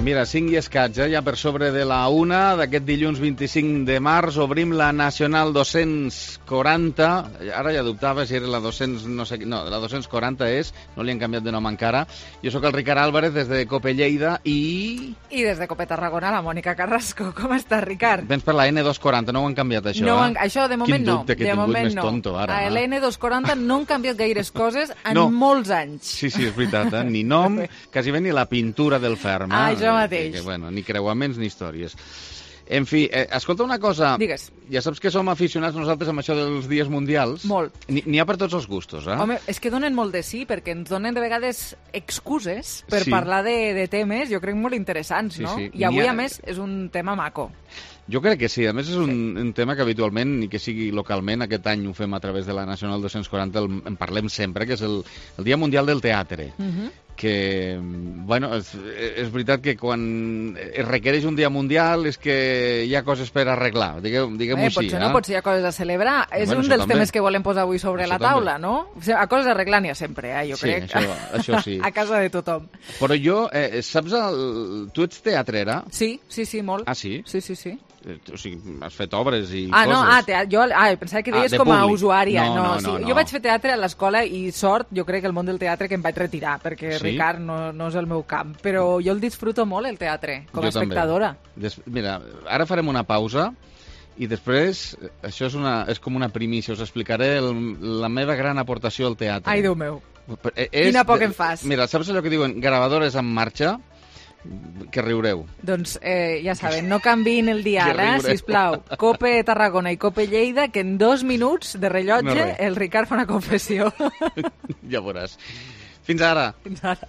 Mira, 5 i escaig, ja per sobre de la 1 d'aquest dilluns 25 de març. Obrim la Nacional 240. Ara ja dubtava si era la 200, no sé, no, la 240 és, no li han canviat de nom encara. Jo sóc el Ricard Álvarez des de Cope Lleida i... I des de Cope Tarragona, la Mònica Carrasco. Com estàs, Ricard? Vens per la N240, no ho han canviat això, no, Això de moment no. Quin dubte que he tingut més tonto ara. A l'N240 no han canviat gaires coses en molts anys. Sí, és veritat, ni nom, quasi bé ni la pintura del ferm. Això mateix. Que, bueno, ni creuaments ni històries. En fi, escolta una cosa. Digues. Ja saps que som aficionats nosaltres amb això dels dies mundials. Molt. N'hi ha per tots els gustos, eh? Home, és que donen molt de sí, perquè ens donen de vegades excuses per parlar de temes, jo crec, molt interessants, no? I avui, a més, és un tema maco. Jo crec que sí. A més, és un tema que habitualment, ni que sigui localment, aquest any ho fem a través de la Nacional 240, en parlem sempre, que és el Dia Mundial del Teatre. Que, bueno, és veritat que quan es requereix un dia mundial és que hi ha coses per arreglar, diguem-ho així. Potser no, potser hi ha coses a celebrar. És un dels temes que volem posar avui sobre la taula, no? O sigui, a coses a arreglar n'hi ha sempre, jo crec. Sí, això sí. A casa de tothom. Però jo, saps, tu ets teatrera? Sí, molt. Ah, sí? Sí. O sigui, has fet obres i coses. Jo pensava que deies com a usuària. No. Jo vaig fer teatre a l'escola i sort, jo crec, el món del teatre que em vaig retirar, perquè Ricard no és el meu camp. Però jo el disfruto molt, el teatre, com a espectadora. Mira, ara farem una pausa i després, això és com una primícia, us explicaré la meva gran aportació al teatre. Ai, Déu meu. Quina por que em fas. Mira, saps allò que diuen gravadores en marxa? Que riureu. Doncs ja saben, no canviïn el dia ara, sisplau. Cope Tarragona i Cope Lleida, que en 2 minuts de rellotge el Ricard fa una confessió. Ja veuràs. Fins ara. Fins ara.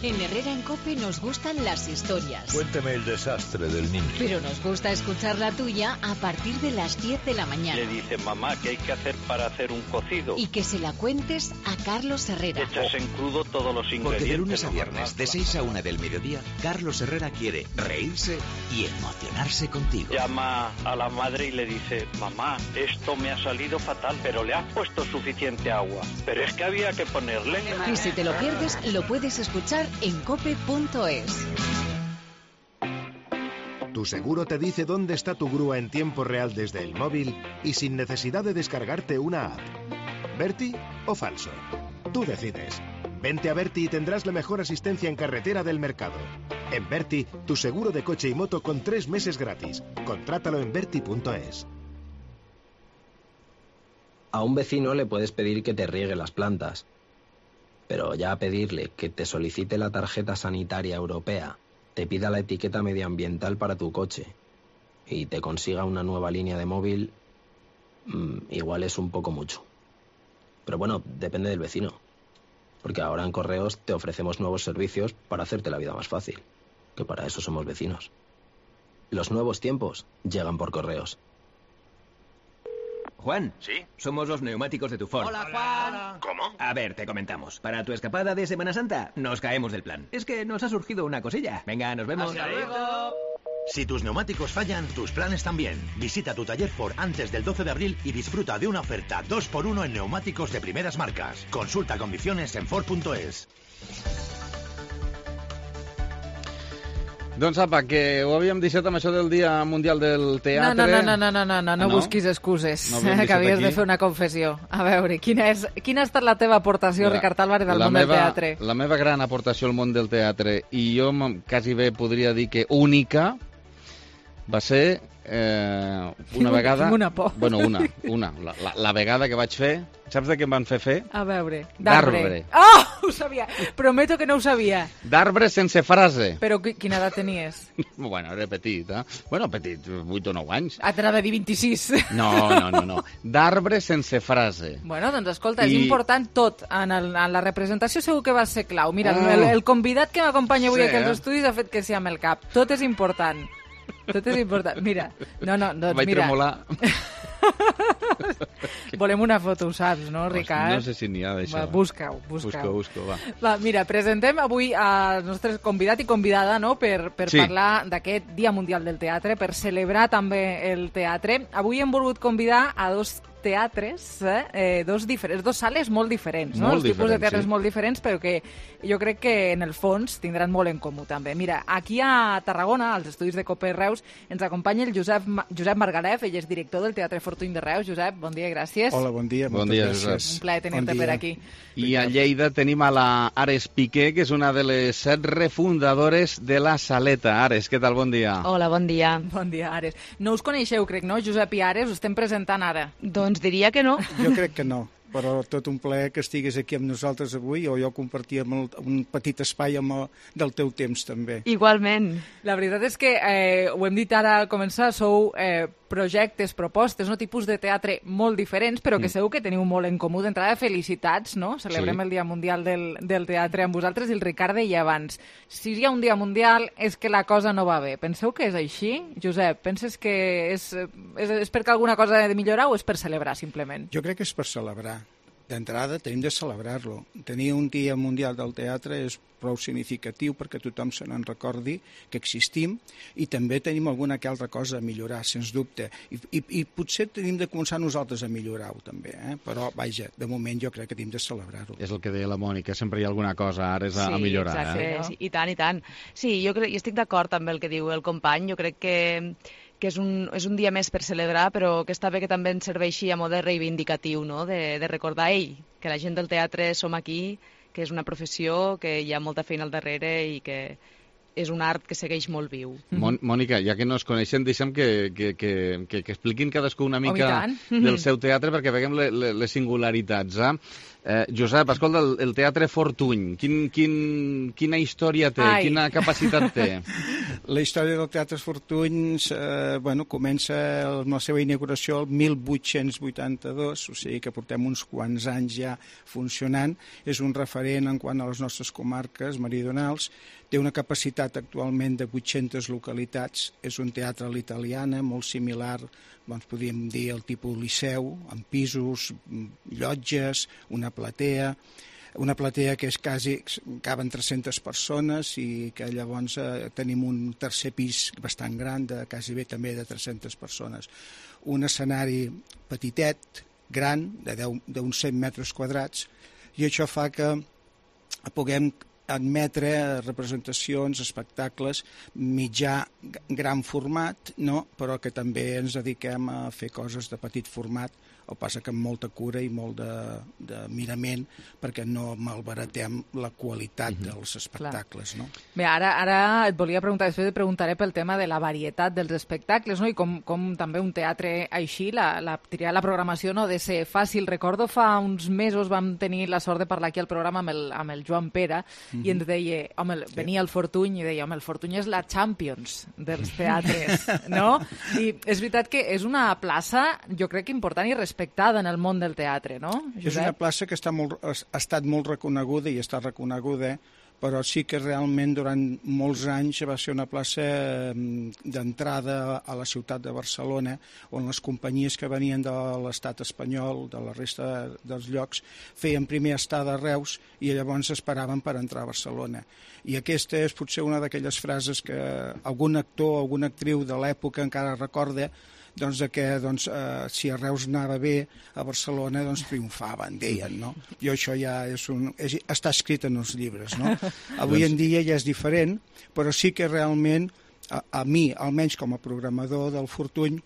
En Herrera en Cope nos gustan las historias. Cuénteme el desastre del niño. Pero nos gusta escuchar la tuya a partir de las 10 de la mañana. Le dice, mamá, ¿qué hay que hacer para hacer un cocido? Y que se la cuentes a Carlos Herrera. Echas en crudo todos los ingredientes. Porque de lunes a viernes, de 6 a 1 del mediodía, Carlos Herrera quiere reírse y emocionarse contigo. Llama a la madre y le dice, mamá, esto me ha salido fatal, pero le has puesto suficiente agua. Pero es que había que ponerle. Y si te lo pierdes, lo puedes escuchar en cope.es. Tu seguro te dice dónde está tu grúa en tiempo real desde el móvil y sin necesidad de descargarte una app. ¿Berti o falso? Tú decides. Vente a Berti y tendrás la mejor asistencia en carretera del mercado. En Berti, tu seguro de coche y moto con 3 meses gratis. Contrátalo en berti.es. A un vecino le puedes pedir que te riegue las plantas. Pero ya pedirle que te solicite la tarjeta sanitaria europea, te pida la etiqueta medioambiental para tu coche y te consiga una nueva línea de móvil, igual es un poco mucho. Pero bueno, depende del vecino. Porque ahora en Correos te ofrecemos nuevos servicios para hacerte la vida más fácil. Que para eso somos vecinos. Los nuevos tiempos llegan por Correos. Juan. ¿Sí? Somos los neumáticos de tu Ford. Hola, Juan. ¿Cómo? A ver, te comentamos. Para tu escapada de Semana Santa, nos caemos del plan. Es que nos ha surgido una cosilla. Venga, nos vemos. ¡Hasta luego! Si tus neumáticos fallan, tus planes también. Visita tu taller Ford antes del 12 de abril y disfruta de una oferta 2x1 en neumáticos de primeras marcas. Consulta condiciones en Ford.es. Doncs apa, que ho havíem deixat amb això del Dia Mundial del Teatre. No busquis excuses, que havies de fer una confessió. A veure, quina ha estat la teva aportació, Ricard Álvarez, al món del teatre? La meva gran aportació al món del teatre, i jo quasi bé podria dir que única, va ser una vegada... Tinc una por. Bueno, una. La vegada que vaig fer... Saps de què em van fer? A veure, d'arbre. Oh, ho sabia! Prometo que no ho sabia. D'arbre sense frase. Però quina edat tenies? Bueno, era petit, eh? Bueno, petit, 8 o 9 anys. T'anava a dir 26. No. D'arbre sense frase. Bueno, doncs escolta, és important tot. En la representació segur que va ser clau. Mira, el convidat que m'acompanya avui aquí als estudis ha fet que sí amb el cap. Tot és important. Mira, doncs vaig mira. tremolar. Volem una foto, ho saps, no, Ricard? No sé si n'hi ha d'això. Busca-ho, va. Va, mira, presentem avui al nostre convidat i convidada, no?, per parlar d'aquest Dia Mundial del Teatre, per celebrar també el teatre. Avui hem volgut convidar a dos teatres, dos sales molt diferents, no? Molt Els tipus de diferents, teatres sí. molt diferents, però que jo crec que en el fons tindran molt en comú també. Mira, aquí a Tarragona, als estudis de Cope Reus, ens acompanya el Josep Margalef, ell és director del Teatre Fortuny de Reus. Josep, bon dia i gràcies. Hola, bon dia, Bon moltes dia, gràcies. Josep. Un plaer tenir-te per aquí. I a Lleida tenim a la Ares Piqué, que és una de les 7 refundadores de la Saleta. Ares, què tal? Bon dia. Hola, bon dia. Bon dia, Ares. No us coneixeu, crec, no? Josep i Ares, us estem presentant ara. Doncs diria que no. Jo crec que no, però tot un plaer que estiguis aquí amb nosaltres avui, o jo compartíem un petit espai del teu temps, també. Igualment. La veritat és que, ho hem dit ara al començar, sou projectes, propostes, no? Tipus de teatre molt diferents, però que segur que teniu molt en comú. D'entrada, felicitats, no? Celebrem el Dia Mundial del Teatre amb vosaltres, i el Ricard deia abans, si hi ha un Dia Mundial és que la cosa no va bé. Penseu que és així? Josep, penses que és perquè alguna cosa ha de millorar o és per celebrar, simplement? Jo crec que és per celebrar. D'entrada, tenim de celebrar-lo. Tenir un Dia Mundial del Teatre és prou significatiu perquè tothom se n'en recordi que existim, i també tenim alguna que altra cosa a millorar, sens dubte. I potser tenim de començar nosaltres a millorar-ho, també. Però, vaja, de moment jo crec que tenim de celebrar-ho. És el que deia la Mònica, sempre hi ha alguna cosa, Ares, a millorar. Exacte, sí, i tant, i tant. Sí, jo estic d'acord amb el que diu el company. Jo crec que és un dia més per celebrar, però que està bé que també ens serveixi a mode reivindicatiu, no? De recordar, que la gent del teatre som aquí, que és una professió, que hi ha molta feina al darrere i que és un art que segueix molt viu. Mònica, ja que no es coneixen, deixa'm que expliquin cadascú una mica del seu teatre perquè veiem les singularitats. Josep, escolta, el Teatre Fortuny, quina història té, quina capacitat té? La història del Teatre Fortuny comença amb la seva inauguració el 1882, o sigui que portem uns quants anys ja funcionant. És un referent en quant a les nostres comarques meridionals. Té una capacitat actualment de 800 localitats. És un teatre a l'italiana, molt similar, podríem dir, el tipus liceu, amb pisos, llotges, una platea que és quasi, caben 300 persones, i que llavors tenim un tercer pis bastant gran, de quasi bé també de 300 persones. Un escenari petitet, gran, d'uns 100 metres quadrats, i això fa que puguem admetre representacions, espectacles mitjà, gran format, no? Però que també ens dediquem a fer coses de petit format, el que passa que amb molta cura i molt de mirament, perquè no malbaratem la qualitat dels espectacles. No? Bé, ara et volia preguntar, després et preguntaré pel tema de la varietat dels espectacles, no? I com també un teatre així, triar la programació no ha de ser fàcil. Recordo fa uns mesos vam tenir la sort de parlar aquí al programa amb el Joan Pere, i ens deia, venia el Fortuny i deia, el Fortuny és la Champions dels teatres, no? I és veritat que és una plaça, jo crec que important i respectada en el món del teatre, no, Josep? És una plaça que ha estat molt reconeguda i està reconeguda, però sí que realment durant molts anys va ser una plaça d'entrada a la ciutat de Barcelona, on les companyies que venien de l'estat espanyol, de la resta dels llocs, feien primer estada a Reus i llavors esperaven per entrar a Barcelona. I aquesta és potser una d'aquelles frases que algun actor o alguna actriu de l'època encara recorda, si a Reus anava bé, a Barcelona triomfaven, deien, no? I això ja està escrit en els llibres, no? Avui en dia ja és diferent, però sí que realment, a mi, almenys com a programador del Fortuny,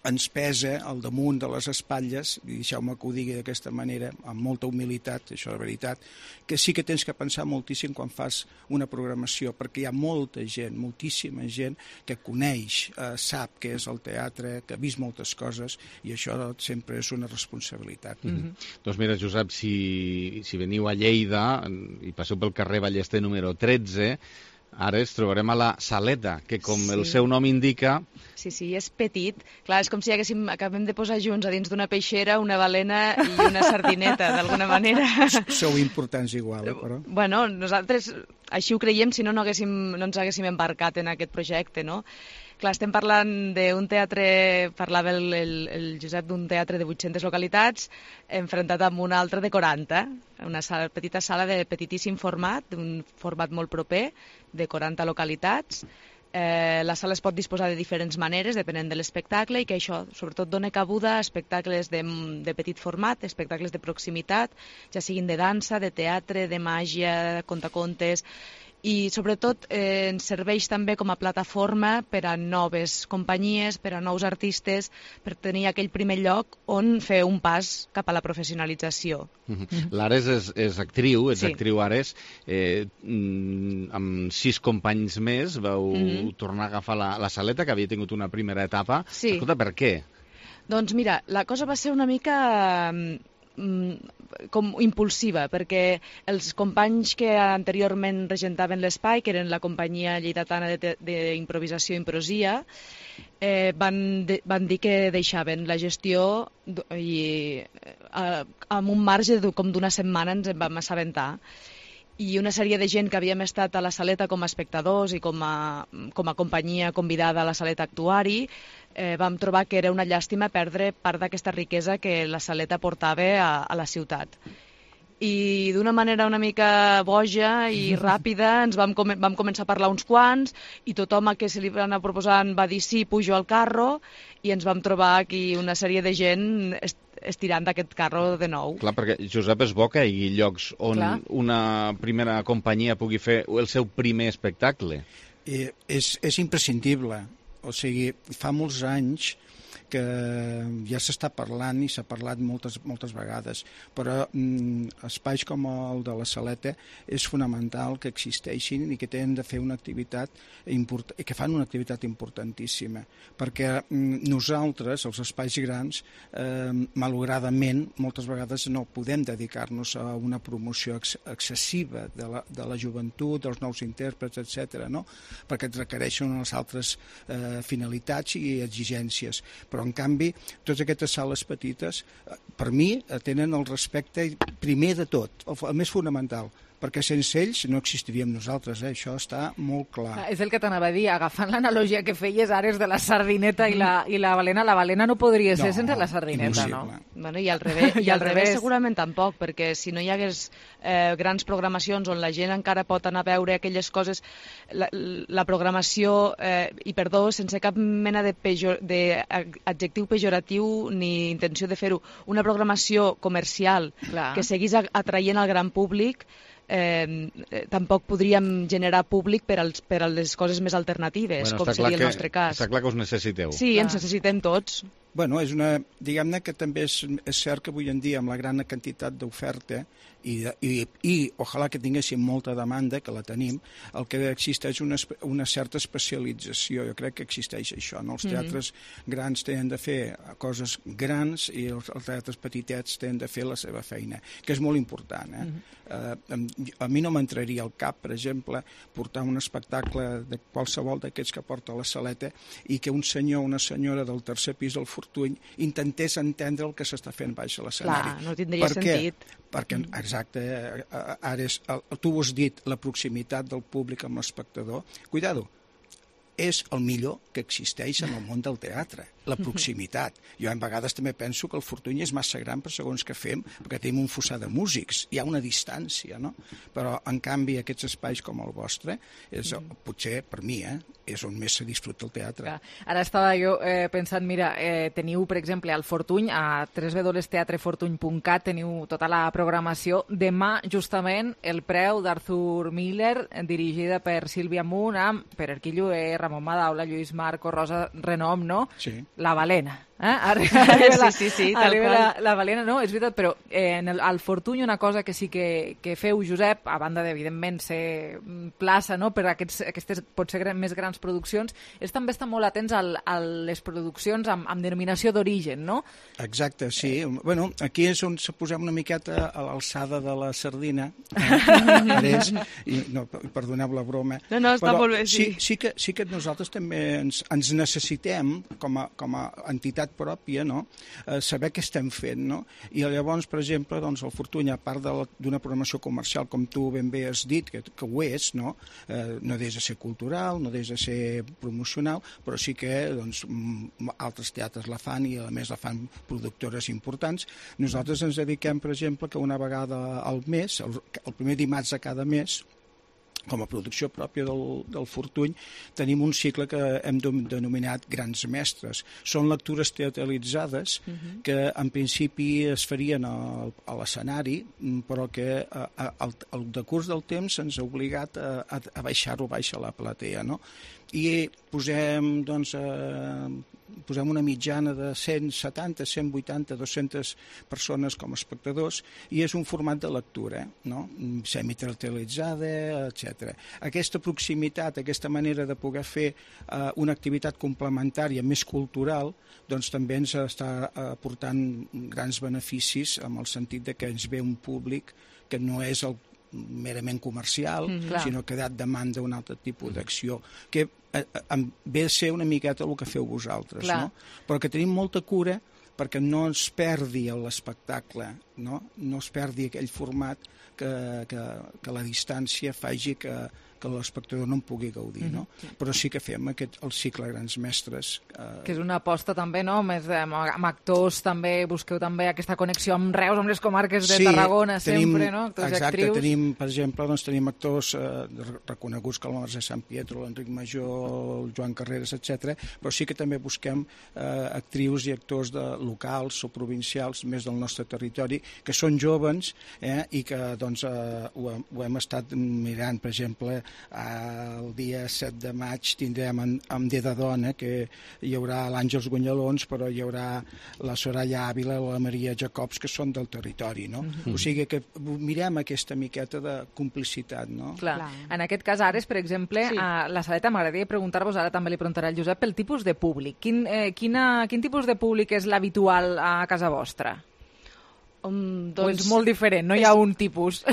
ens pesa al damunt de les espatlles, i deixeu-me que ho digui d'aquesta manera, amb molta humilitat, això és veritat, que sí que tens que pensar moltíssim quan fas una programació, perquè hi ha molta gent, moltíssima gent, que coneix, sap què és el teatre, que ha vist moltes coses, i això sempre és una responsabilitat. Doncs mira, Josep, si veniu a Lleida i passeu pel carrer Ballester número 13, ara ens trobarem a la Saleta, que com el seu nom indica... Sí, és petit. Clar, és com si acabem de posar junts a dins d'una peixera una balena i una sardineta, d'alguna manera. Sou importants igual, però... Bueno, nosaltres així ho creiem, si no ens haguéssim embarcat en aquest projecte, no? Clar, estem parlant d'un teatre, parlava el Josep d'un teatre de 800 localitats, enfrontat amb un altre de 40, una petita sala de petitíssim format, d'un format molt proper, de 40 localitats, La sala es pot disposar de diferents maneres, depenent de l'espectacle, i que això, sobretot, dona cabuda a espectacles de petit format, espectacles de proximitat, ja siguin de dansa, de teatre, de màgia, contacontes, i sobretot ens serveix també com a plataforma per a noves companyies, per a nous artistes, per tenir aquell primer lloc on fer un pas cap a la professionalització. L'Ares és actriu, ets actriu Ares, amb 6 companys més vau tornar a agafar la saleta, que havia tingut una primera etapa. Escolta, per què? Doncs mira, la cosa va ser una mica com impulsiva, perquè els companys que anteriorment regentaven l'espai, que eren la companyia lleidatana d'improvisació Improsia, van dir que deixaven la gestió i amb un marge com d'una setmana ens en vam assabentar. I una sèrie de gent que havíem estat a la saleta com a espectadors i com a companyia convidada a la saleta actuari, vam trobar que era una llàstima perdre part d'aquesta riquesa que la saleta portava a la ciutat. I d'una manera una mica boja i ràpida ens vam començar a parlar uns quants i tothom a què se li va anar proposant va dir sí, pujo al carro, i ens vam trobar aquí una sèrie de gent estirant d'aquest carro de nou. Clar, perquè Josep, és bo que hi hagi llocs on una primera companyia pugui fer el seu primer espectacle. És imprescindible. O sigui, fa molts anys que ja s'està parlant i s'ha parlat moltes vegades, però espais com el de la Saleta és fonamental que existeixin i que tenen de fer una activitat que fan una activitat importantíssima, perquè nosaltres, els espais grans, malauradament, moltes vegades no podem dedicar-nos a una promoció excessiva de la joventut, dels nous intèrprets, etc., no? Perquè et requereixen unes altres finalitats i exigències. Però, en canvi, totes aquestes sales petites, per mi, tenen el respecte primer de tot, el més fonamental, perquè sense ells no existiríem nosaltres, això està molt clar. És el que t'anava a dir, agafant l'analogia que feies ara de la sardineta i la balena no podria ser sense la sardineta, no? Bueno, i al revés segurament tampoc, perquè si no hi hagués grans programacions on la gent encara pot anar a veure aquelles coses, la programació, i perdó, sense cap mena d'adjectiu pejoratiu ni intenció de fer-ho, una programació comercial que seguís atraient al gran públic, tampoc podríem generar públic per a les coses més alternatives, com seria el nostre cas. Està clar que us necessiteu. Sí, ens necessitem tots. Bueno, diguem-ne que també és cert que avui en dia, amb la gran quantitat d'oferta i ojalà que tinguéssim molta demanda, que la tenim, el que existeix una certa especialització. Jo crec que existeix això, no? Els teatres grans tenen de fer coses grans i els teatres petitets tenen de fer la seva feina, que és molt important. A mi no m'entraria al cap, per exemple, portar un espectacle de qualsevol d'aquests que porta la Saleta i que un senyor o una senyora del tercer pis del Fortuny intentés entendre el que s'està fent baix a l'escenari. Clar, no tindria sentit. Perquè, exacte, ara tu ho has dit, la proximitat del públic amb l'espectador. Cuidado, és el millor que existeix en el món del teatre, la proximitat. Jo a vegades també penso que el Fortuny és massa gran per segons què fem, perquè tenim un fossar de músics, hi ha una distància, no? Però, en canvi, aquests espais com el vostre, potser, per mi, és on més se disfruta el teatre. Ara estava jo pensant, mira, teniu, per exemple, al Fortuny, a www.teatrefortuny.cat, teniu tota la programació. Demà, justament, el preu d'Arthur Miller, dirigida per Sílvia Munt, amb Pere Arquilloé, Ramon Madaula, Lluís Marco, Rosa Renom, no? Sí. La balena. Sí, tal qual. La balena, no, és veritat, però al Fortuny una cosa que sí que feu, Josep, a banda d'evidentment ser plaça, no?, per aquestes potser més grans produccions, és també estar molt atents a les produccions amb denominació d'origen, no? Exacte, sí. Bueno, aquí és on se posem una miqueta a l'alçada de la sardina. No, perdoneu la broma. No, està molt bé, sí. Sí que nosaltres també ens necessitem, com a entitat pròpia, no?, saber què estem fent, no? I llavors, per exemple, doncs, el Fortuny, a part d'una programació comercial, com tu ben bé has dit, que ho és, no? No deixa de ser cultural, no deixa de ser promocional, però sí que doncs, altres teatres la fan i a més la fan productores importants. Nosaltres ens dediquem, per exemple, que una vegada al mes, el primer dimarts de cada mes, com a producció pròpia del Fortuny, tenim un cicle que hem denominat Grans Mestres. Són lectures teatralitzades que en principi es farien a l'escenari, però que al decurs del temps ens ha obligat a baixar-ho baix a la platea, no? I posem, doncs, posem una mitjana de 170, 180, 200 persones com a espectadors i és un format de lectura, no? Semiteatralitzada, etc. Aquesta proximitat, aquesta manera de poder fer una activitat complementària més cultural, doncs també ens està aportant grans beneficis en el sentit de que ens ve un públic que no és el merament comercial, sinó que demanda un altre tipus d'acció, que ve a ser una miqueta el que feu vosaltres, no? Però que tenim molta cura perquè no es perdi l'espectacle, no es perdi aquell format que la distància faci que l'espectador no en pugui gaudir, no? Però sí que fem el cicle Grans Mestres. Que és una aposta també, no? Més amb actors també, busqueu també aquesta connexió amb Reus, amb les comarques de Tarragona, sempre, no? Actors i actrius. Exacte, tenim, per exemple, tenim actors reconeguts com la Mercè Sant Pietro, l'Enric Major, el Joan Carreras, etc. Però sí que també busquem actrius i actors locals o provincials més del nostre territori, que són jóvens i que doncs ho hem estat mirant, per exemple, el dia 7 de maig tindrem amb Dé de Dona, que hi haurà l'Àngels Guanyalons, però hi haurà la Soraya Ávila o la Maria Jacobs, que són del territori, no? O sigui que mirem aquesta miqueta de complicitat, no? Clar. En aquest cas, Ares, per exemple, a la Saleta, m'agradaria preguntar-vos, ara també li preguntaré al Josep, pel tipus de públic. Quin tipus de públic és l'habitual a casa vostra? Doncs, o és molt diferent, no hi ha un tipus?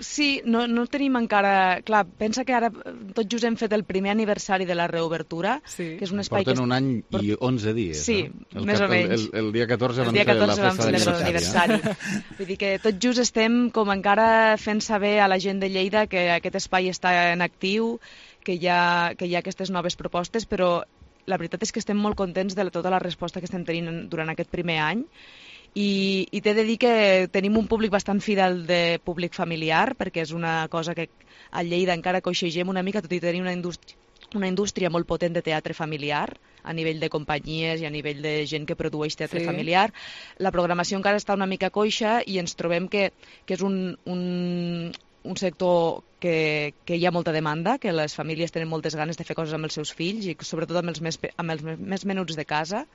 Sí, no tenim encara... Clar, pensa que ara tot just hem fet el primer aniversari de la reobertura, que és un espai Porten un any i 11 dies. Sí, més o menys. El dia 14 van fer la festa de l'aniversari. Vull dir que tot just estem com encara fent saber a la gent de Lleida que aquest espai està en actiu, que hi ha aquestes noves propostes, però la veritat és que estem molt contents de tota la resposta que estem tenint durant aquest primer any. I t'he de dir que tenim un públic bastant fidel de públic familiar, perquè és una cosa que a Lleida encara coixegem una mica, tot i tenir una indústria molt potent de teatre familiar, a nivell de companyies i a nivell de gent que produeix teatre familiar. La programació encara està una mica coixa i ens trobem que és un sector que hi ha molta demanda, que les famílies tenen moltes ganes de fer coses amb els seus fills i sobretot amb els més menuts de casa.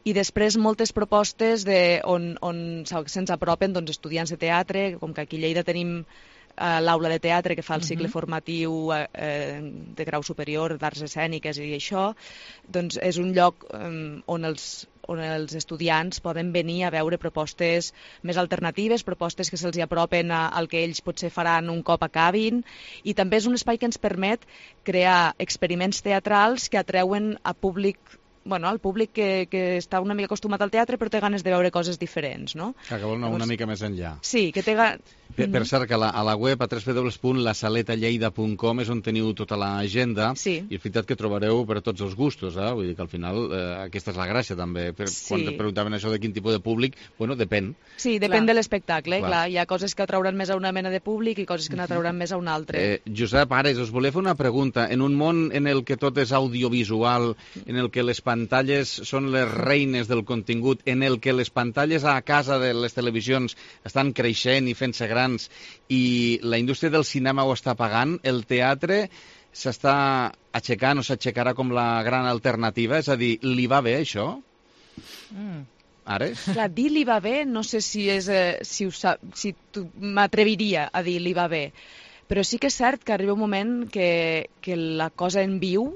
I després moltes propostes on se'ns apropen estudiants de teatre, com que aquí a Lleida tenim l'aula de teatre que fa el cicle formatiu de grau superior d'arts escèniques i això, doncs és un lloc on els estudiants poden venir a veure propostes més alternatives, propostes que se'ls apropen al que ells potser faran un cop acabin, i també és un espai que ens permet crear experiments teatrals que atreuen a al públic que està una mica acostumat al teatre però té ganes de veure coses diferents, no? Que vol anar una mica més enllà. Sí, que té Per cert, que a la web a www.lasaletalleida.com és on teniu tota l'agenda i és veritat que trobareu per tots els gustos, vull dir que al final aquesta és la gràcia també. Quan te preguntaven això de quin tipus de públic, bueno, depèn. Sí, depèn de l'espectacle, clar. Hi ha coses que atrauran més a una mena de públic i coses que n'atrauran més a un altre. Josep, Ares, us volia fer una pregunta. En un món en el que tot és audiovisual, en el que les pantalles són les reines del contingut, en el que les pantalles a casa de les televisions estan creixent i fent-se grans i la indústria del cinema ho està pagant, el teatre s'està aixecant o s'aixecarà com la gran alternativa? És a dir, li va bé això? Ares? Clar, dir li va bé, no sé si m'atreviria a dir li va bé, però sí que és cert que arriba un moment que la cosa en viu,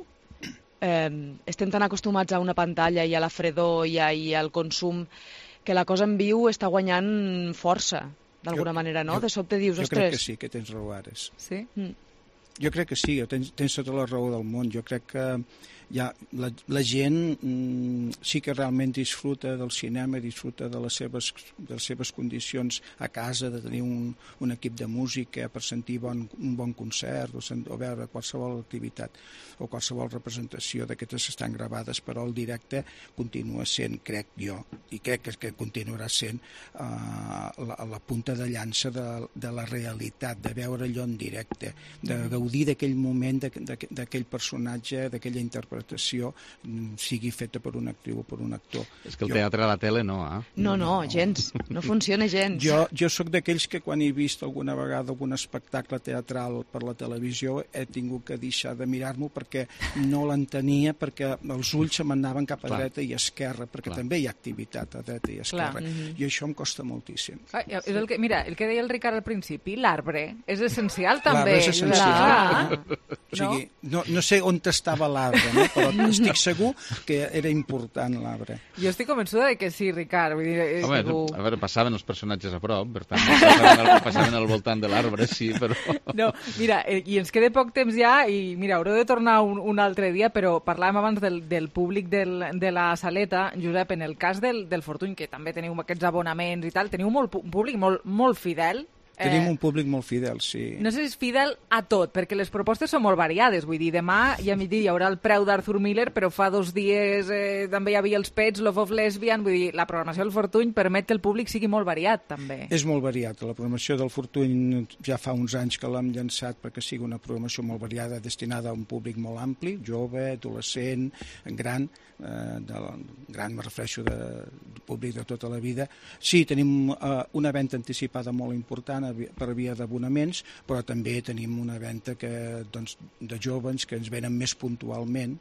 estem tan acostumats a una pantalla i a la fredor i al consum, que la cosa en viu està guanyant força, d'alguna manera, no? De sobte dius, ostres... Jo crec que sí, que tens raó, Ares. Sí? Jo crec que sí, tens tota la raó del món. Jo crec que la gent sí que realment disfruta del cinema, disfruta de les seves condicions a casa, de tenir un equip de música per sentir un bon concert o veure qualsevol activitat o qualsevol representació d'aquestes estan gravades, però el directe continua sent, crec jo, i crec que continuarà sent la punta de llança de la realitat, de veure allò en directe, de gaudir d'aquell moment, d'aquell personatge, d'aquella interpretació, sigui feta per una actriu o per un actor. És que el teatre a la tele no, eh? No, gens. No funciona gens. Jo sóc d'aquells que quan he vist alguna vegada algun espectacle teatral per la televisió he tingut que deixar de mirar-m'ho perquè no l'entenia, perquè els ulls se m'anaven cap a dreta i esquerra, perquè també hi ha activitat a dreta i esquerra. I això em costa moltíssim. Mira, el que deia el Ricard al principi, l'arbre és essencial també. L'arbre és essencial. O sigui, no sé on estava l'arbre, però estic segur que era important l'arbre. Jo estic convençuda que sí, Ricard. Home, a veure, passaven els personatges a prop, per tant, passaven al voltant de l'arbre, sí, però... No, mira, i ens queda poc temps ja, i mira, haureu de tornar un altre dia, però parlàvem abans del públic de la Saleta. Josep, en el cas del Fortuny, que també teniu aquests abonaments i tal, teniu un públic molt fidel. Tenim un públic molt fidel, sí. No sé si és fidel a tot, perquè les propostes són molt variades. Vull dir, demà i a migdia hi haurà el preu d'Arthur Miller, però fa 2 dies també hi havia els Pets, Love of Lesbian. Vull dir, la programació del Fortuny permet que el públic sigui molt variat, també. És molt variat. La programació del Fortuny ja fa uns anys que l'hem llançat perquè sigui una programació molt variada, destinada a un públic molt ampli, jove, adolescent, gran, me refereixo de públic de tota la vida. Sí, tenim una venda anticipada molt important per via d'abonaments, però també tenim una venda de joves que ens venen més puntualment.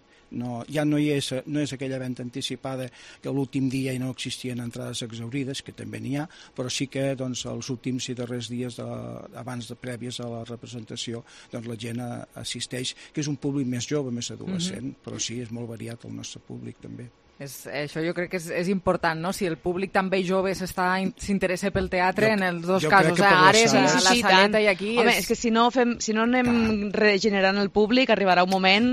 Ja no és aquella venda anticipada que l'últim dia no existien entrades exhaurides, que també n'hi ha, però sí que els últims i darrers dies abans de prèvies a la representació la gent assisteix, que és un públic més jove, més adolescent, però sí, és molt variat el nostre públic també. Això jo crec que és important, no? Si el públic també jove s'interessa pel teatre, en els dos casos, Ares, la Saleta i aquí... Home, és que si no anem regenerant el públic, arribarà un moment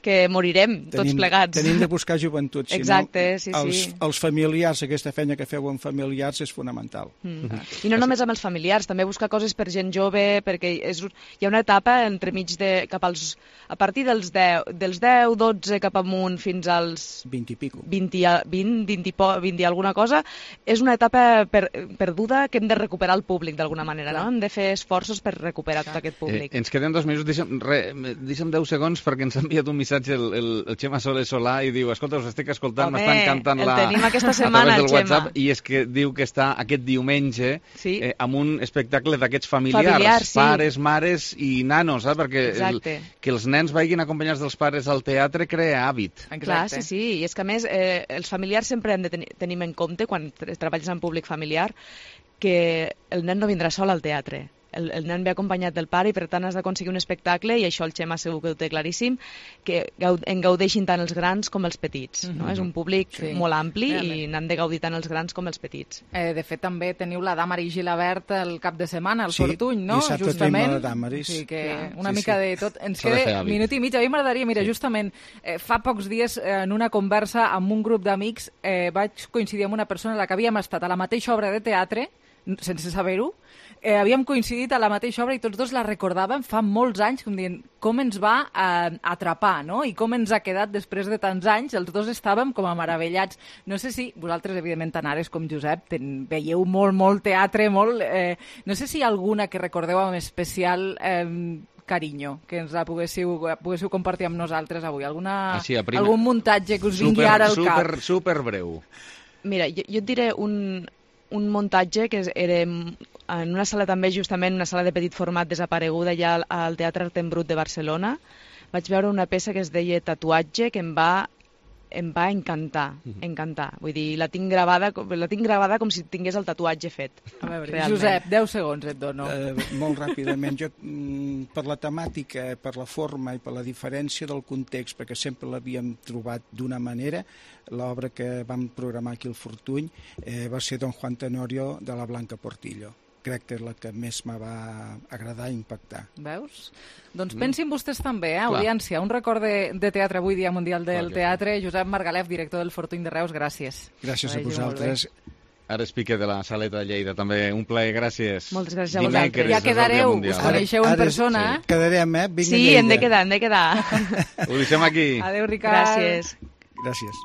que morirem tots plegats. Tenim de buscar joventut. Exacte, sí. Els familiars, aquesta feina que feu amb familiars és fonamental. I no només amb els familiars, també buscar coses per gent jove, perquè hi ha una etapa entremig a partir dels 10, 12 cap amunt fins als 20 i pico. 20 i alguna cosa, és una etapa perduda que hem de recuperar el públic d'alguna manera, no? Hem de fer esforços per recuperar tot aquest públic. Ens queden 2 minuts, deixa'm 10 segons perquè ens ha enviat un missatge el Xema Soler Solà i diu, escolta, us estic escoltant, m'estan cantant el tenim aquesta setmana, el WhatsApp, i és que diu que està aquest diumenge amb un espectacle d'aquests familiars, pares, mares i nanos, perquè que els nens vagin acompanyats dels pares al teatre crea hàbit. Clar, sí, i és que a més els familiars sempre hem de tenir en compte, quan treballes en públic familiar, que el nen no vindrà sol al teatre. El nen ve acompanyat del pare i per tant has d'aconseguir un espectacle, i això el Xema segur que ho té claríssim, que en gaudeixin tant els grans com els petits. És un públic molt ampli i n'han de gaudir tant els grans com els petits. De fet, també teniu la Damaris Gilabert el cap de setmana, el Fortuny, no? Sí, dissabte tenim la Damaris. Sí, que una mica de tot. Ens queda minut i mig. A mi m'agradaria, mira, justament fa pocs dies en una conversa amb un grup d'amics vaig coincidir amb una persona a la que havíem estat a la mateixa obra de teatre, sense saber-ho. Havíem coincidit a la mateixa obra i tots dos la recordàvem fa molts anys, com dient com ens va atrapar, no? I com ens ha quedat després de tants anys. Els dos estàvem com a meravellats. No sé si vosaltres, evidentment, tant Ares com Josep, veieu molt teatre, no sé si hi ha alguna que recordeu amb especial carinyo, que ens la poguéssiu compartir amb nosaltres avui. Algun muntatge que us vingui ara al cap? Super breu. Mira, jo et diré un muntatge que era en una sala també, justament una sala de petit format desapareguda ja al Teatre Art en Brut de Barcelona. Vaig veure una peça que es deia Tatuatge, que em va encantar. Vull dir, la tinc gravada com si tingués el tatuatge fet. A veure, Josep, 10 segons et dono. Molt ràpidament. Jo, per la temàtica, per la forma i per la diferència del context, perquè sempre l'havíem trobat d'una manera, l'obra que vam programar aquí al Fortuny va ser Don Juan Tenorio de la Blanca Portillo. crec que és la que més me va agradar i impactar. Veus? Doncs pensin vostès també, audiència, un record de teatre avui, Dia Mundial del Teatre. Josep Margalef, director del Fortuny de Reus, gràcies. Gràcies a vosaltres. Ara es Piqué de la Saleta de Lleida, també. Un plaer, gràcies. Moltes gràcies a vosaltres. Ja quedareu, us coneixeu en persona. Quedarem, Vinga, sí, hem de quedar. Ho deixem aquí. Adéu, Ricard. Gràcies. Gràcies.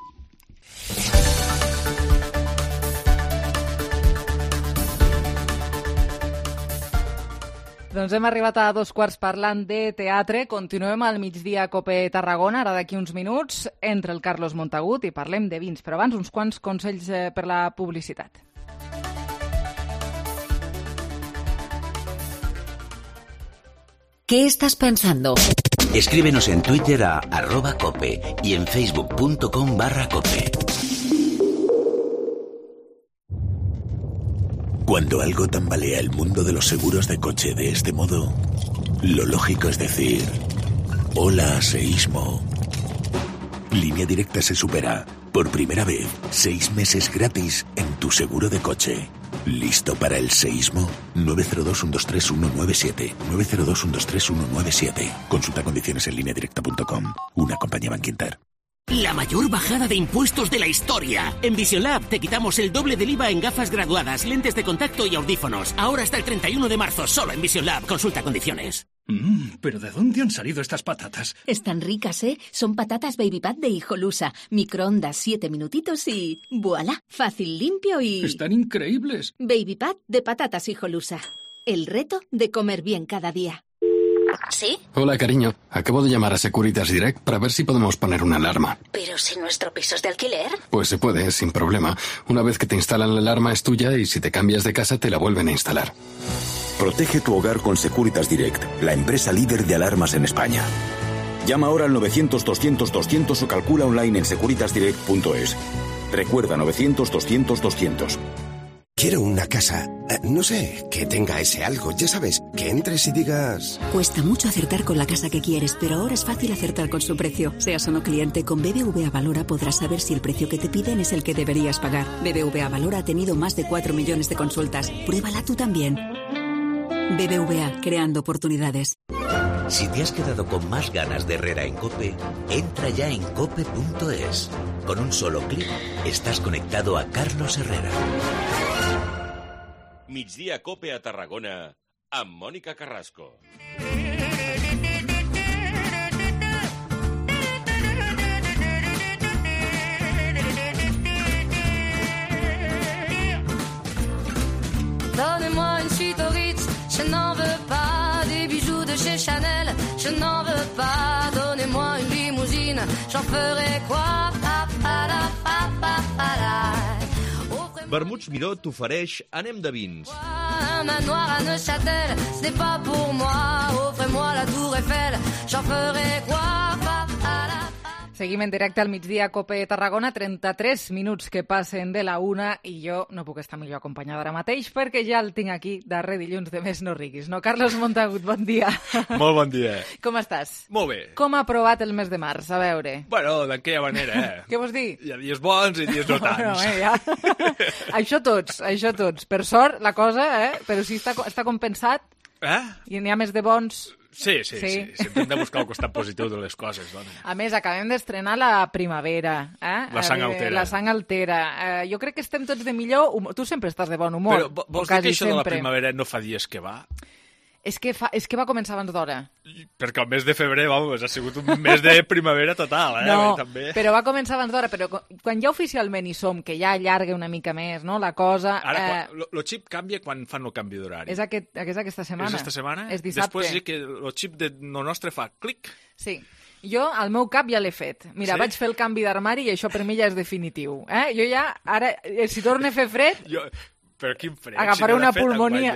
Doncs hem arribat a 2:15 parlant de teatre. Continuem al migdia a Cope Tarragona, ara d'aquí uns minuts, entre el Carlos Montagut i parlem de vins. Però abans uns quants consells per la publicitat. ¿Qué estás pensando? Escríbenos en Twitter a @cope y en facebook.com/cope. Cuando algo tambalea el mundo de los seguros de coche de este modo, lo lógico es decir, hola, seísmo. Línea Directa se supera. Por primera vez, 6 meses gratis en tu seguro de coche. ¿Listo para el seísmo? 902-123-197. 902-123-197. Consulta condiciones en lineadirecta.com. Una compañía Bankinter. La mayor bajada de impuestos de la historia. En Vision Lab te quitamos el doble del IVA en gafas graduadas, lentes de contacto y audífonos. Ahora hasta el 31 de marzo, solo en Vision Lab. Consulta condiciones. ¿Pero de dónde han salido estas patatas? Están ricas, ¿eh? Son patatas Baby Pat de Hijolusa. Microondas 7 minutitos y... ¡voilá! Fácil, limpio y... ¡Están increíbles! Baby Pat de patatas Hijolusa. El reto de comer bien cada día. ¿Sí? Hola, cariño. Acabo de llamar a Securitas Direct para ver si podemos poner una alarma. ¿Pero si nuestro piso es de alquiler? Pues se puede, sin problema. Una vez que te instalan la alarma es tuya y si te cambias de casa te la vuelven a instalar. Protege tu hogar con Securitas Direct, la empresa líder de alarmas en España. Llama ahora al 900-200-200 o calcula online en securitasdirect.es. Recuerda, 900-200-200. Quiero una casa, no sé, que tenga ese algo, ya sabes, que entres y digas... Cuesta mucho acertar con la casa que quieres, pero ahora es fácil acertar con su precio. Seas o no cliente, con BBVA Valora podrás saber si el precio que te piden es el que deberías pagar. BBVA Valora ha tenido más de 4 millones de consultas. Pruébala tú también. BBVA, creando oportunidades. Si te has quedado con más ganas de Herrera en COPE, entra ya en cope.es. Con un solo clic estás conectado a Carlos Herrera. Migdia Cope a Tarragona amb Mònica Carrasco. Donnez-moi une suite au Ritz, je n'en veux pas. Des bijoux de chez Chanel, je n'en veux pas. Donnez-moi une limousine, j'en ferai quoi? Vermuts Miró t'ofereix Anem de vins. Un manoir à Neuchâtel, ce n'est pas pour moi. Offrez-moi la Tour Eiffel, j'en ferai quoi? Seguim en directe al migdia a Cope Tarragona, 33 minuts que passen de la 1 i jo no puc estar millor acompanyada ara mateix perquè ja el tinc aquí darrer dilluns de Més no riguis. No, Carlos Montagut, bon dia. Molt bon dia. Com estàs? Molt bé. Com ha aprovat el mes de març? A veure. Bueno, d'aquella manera, Què vols dir? Hi ha dies bons i dies no tants. No, ja. Això tots. Per sort, la cosa, però si està compensat i n'hi ha més de bons... Sí. Sempre hem de buscar el costat positiu de les coses, dona. A més, acabem d'estrenar la primavera. La sang altera. La sang altera. Jo crec que estem tots de millor humor. Tu sempre estàs de bon humor. Però vols dir que això de la primavera no fa dies que va? És que va començar abans d'hora. Perquè el mes de febrer, vamos, ha sigut un mes de primavera total, No, també. però va començar abans d'hora. Però quan ja oficialment hi som, que ja allarga una mica més, no?, la cosa... Ara, el xip canvia quan fan el canvi d'horari. És aquesta setmana. És aquesta setmana? És dissabte. Després sí que el xip de lo nostre fa clic. Sí. Jo, al meu cap, ja l'he fet. Mira, vaig fer el canvi d'armari i això per mi ja és definitiu. Jo ja, ara, si torna a fer fred... Però quin fred, agafaré una pulmonia.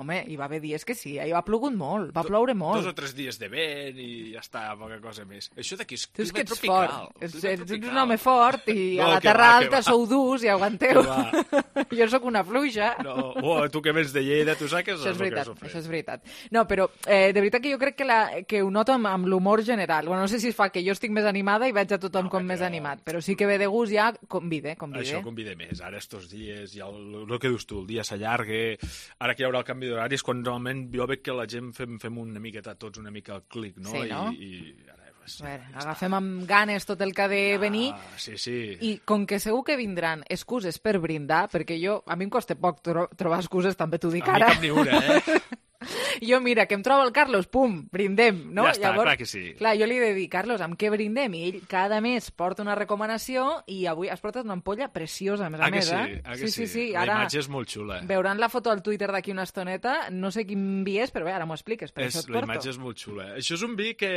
Home, hi va haver dies que sí, ha plogut molt, va ploure molt. 2 o 3 dies de vent i ja està, poca cosa més. Això d'aquí és clima tropical. Ets un home fort i a la terra alta sou durs i aguanteu. Jo sóc una fluixa. Tu que vens de Lleida, tu saps que això és veritat. No, però de veritat que jo crec que ho noto amb l'humor general. Bueno, no sé si fa que jo estic més animada i veig a tothom com més animat, però sí que ve de gust ja convide. Això convide més. Ara estos dies ja el que dius tu, el dia s'allarga, ara que hi haurà el canvi d'horari és quan realment jo veig que la gent fem una miqueta tots una mica el clic, no? Sí, no? I ara, agafem amb ganes tot el que ha de venir i com que segur que vindran excuses per brindar, perquè a mi em costa poc trobar excuses, també t'ho dic ara. A mi cap ni una, Jo, mira, que em trobo el Carlos, pum, brindem, no? Ja està, clar que sí. Clar, jo li he de dir, Carlos, amb què brindem? I ell cada mes porta una recomanació i avui has portat una ampolla preciosa, a més a més, sí. La imatge és molt xula. Veuran la foto al Twitter d'aquí una estoneta, no sé quin vi és, però bé, ara m'ho expliques, per això et porto. La imatge és molt xula. Això és un vi que,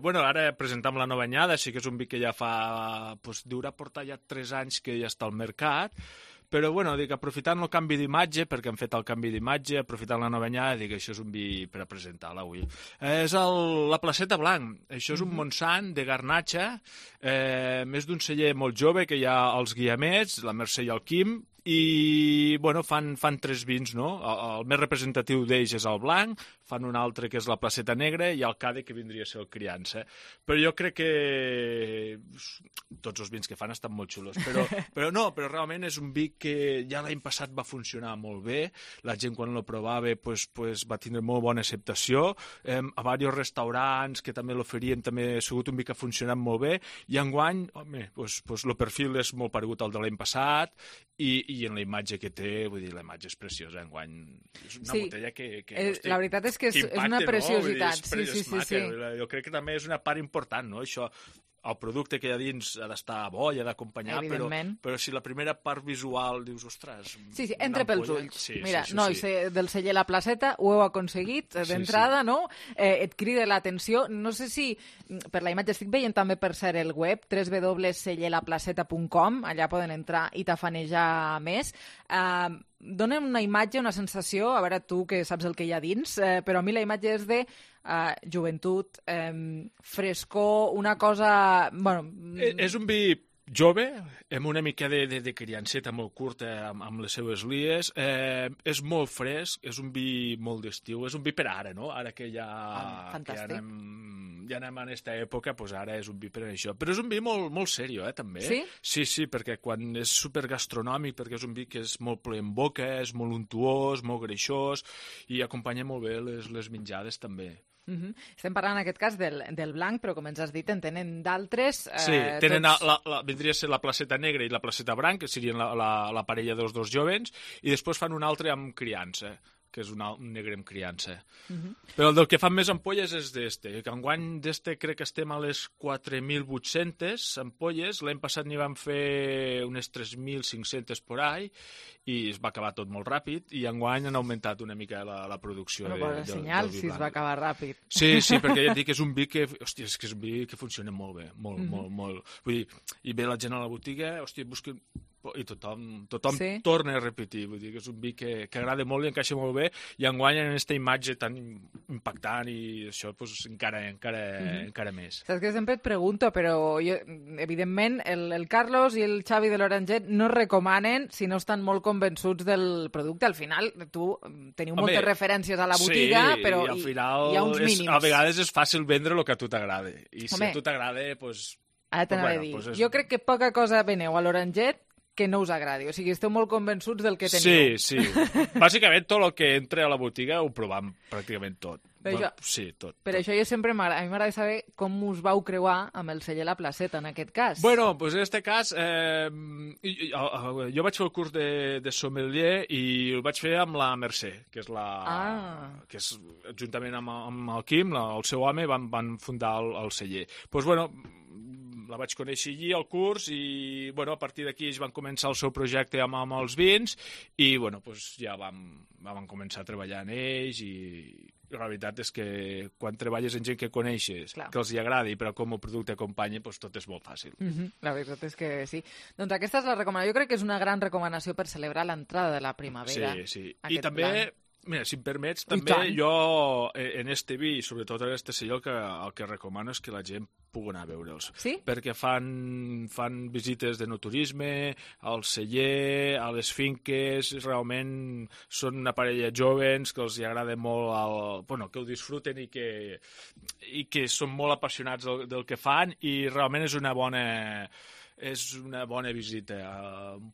bueno, ara presentam la nova anyada, sí que és un vi que ja fa, deurà portar ja 3 anys que ja està al mercat, però, bueno, dic, aprofitant el canvi d'imatge, perquè hem fet el canvi d'imatge, aprofitant la nova anyada, dic, això és un vi per a presentar-la avui. És la Placeta Blanc. Això és un Montsant de Garnatxa, més d'un celler molt jove, que hi ha els Guiamets, la Mercè i el Quim, i, bueno, fan 3 vins, no? El més representatiu d'ells és el blanc, fan un altre que és la Placeta Negra i el Cade, que vindria a ser el Criança. Però jo crec que tots els vins que fan estan molt xulos. Però realment és un vi que ja l'any passat va funcionar molt bé. La gent quan lo provava va tindre molt bona acceptació. A diversos restaurants que també l'oferien també ha sigut un vi que ha funcionat molt bé. I enguany, home, el perfil és molt paregut al de l'any passat i en la imatge que té, vull dir, la imatge és preciosa enguany. És una botella que la veritat és que és una preciositat. Sí. Jo crec que també és una part important, no? Això, el producte que hi ha dins ha d'estar bo i ha d'acompanyar, però si la primera part visual dius, ostres... Sí, entra pels ulls. Mira, nois del celler La Placeta ho heu aconseguit d'entrada, no? Et crida l'atenció. No sé si per la imatge estic veient també per ser el web, www.cellerlaplaceta.com, allà poden entrar i tafanejar més. Dona una imatge, una sensació, a veure tu que saps el que hi ha dins, però a mi la imatge és de joventut, frescor, una cosa... És un vi jove, amb una mica de crianceta molt curta amb les seues lies, és molt fresc, és un vi molt d'estiu, és un vi per ara, no? Ara que ja anem en aquesta època, ara és un vi per això. Però és un vi molt serio, també. Sí? Sí, perquè quan és supergastronòmic, perquè és un vi que és molt ple en boca, és molt untuós, molt greixós, i acompanya molt bé les menjades, també. Estem parlant en aquest cas del blanc, però com ens has dit en tenen d'altres. Sí, tenen vindria a ser la Placeta Negra i la Placeta Blanc, que serien la parella dels dos jovens, i després fan un altre amb criança, que és un negre amb criança. Però el que fan més ampolles és d'este, que enguany d'este crec que estem a les 4.800 ampolles, l'any passat n'hi vam fer unes 3.500 por ahí, i es va acabar tot molt ràpid, i enguany han augmentat una mica la producció del vi blanc. Senyal, si es va acabar ràpid. Sí, perquè ja et dic que és un vi que, hòstia, és un vi que funciona molt bé, molt. Vull dir, i ve la gent a la botiga, hòstia, busquen... i tothom torna a repetir, vull dir que és un vi que agrada molt i encaixa molt bé, i enguany en aquesta imatge tan impactant i això encara més. Saps que sempre et pregunto, però jo, evidentment el Carlos i el Xavi de l'Oranget no recomanen si no estan molt convençuts del producte. Al final tu teniu moltes referències a la botiga, però al final hi ha uns mínims. A vegades és fàcil vendre el que a tu t'agrada, i si a tu t'agrada, doncs... Ara t'anava a dir, jo crec que poca cosa veneu a l'Oranget que no us agradi. O sigui, esteu molt convençuts del que teniu. Sí. Bàsicament, tot el que entra a la botiga ho provem pràcticament tot. Sí, tot. Per això a mi m'agrada saber com us vau creuar amb el celler La Placeta, en aquest cas. Bueno, doncs en aquest cas, jo vaig fer el curs de sommelier i el vaig fer amb la Mercè, que és que és, juntament amb el Quim, el seu home, van fundar el celler. Doncs, bueno, la vaig conèixer allí al curs i a partir d'aquí ells van començar el seu projecte amb els vins i ja vam començar a treballar en ells i la veritat és que quan treballes amb gent que coneixes, que els hi agradi, però com el producte acompanya, tot és molt fàcil. La veritat és que sí. Doncs aquesta és la recomanació. Jo crec que és una gran recomanació per celebrar l'entrada de la primavera. Sí. I també... Mira, si em permets, també jo en este vi, sobretot en este celler, el que recomano és que la gent pugui anar a veure'ls. Sí? Perquè fan visites de noturisme, al celler, a les finques, realment són una parella jovens que els agrada molt, que ho disfruten i que són molt apassionats del que fan, i realment és una bona és una bona visita.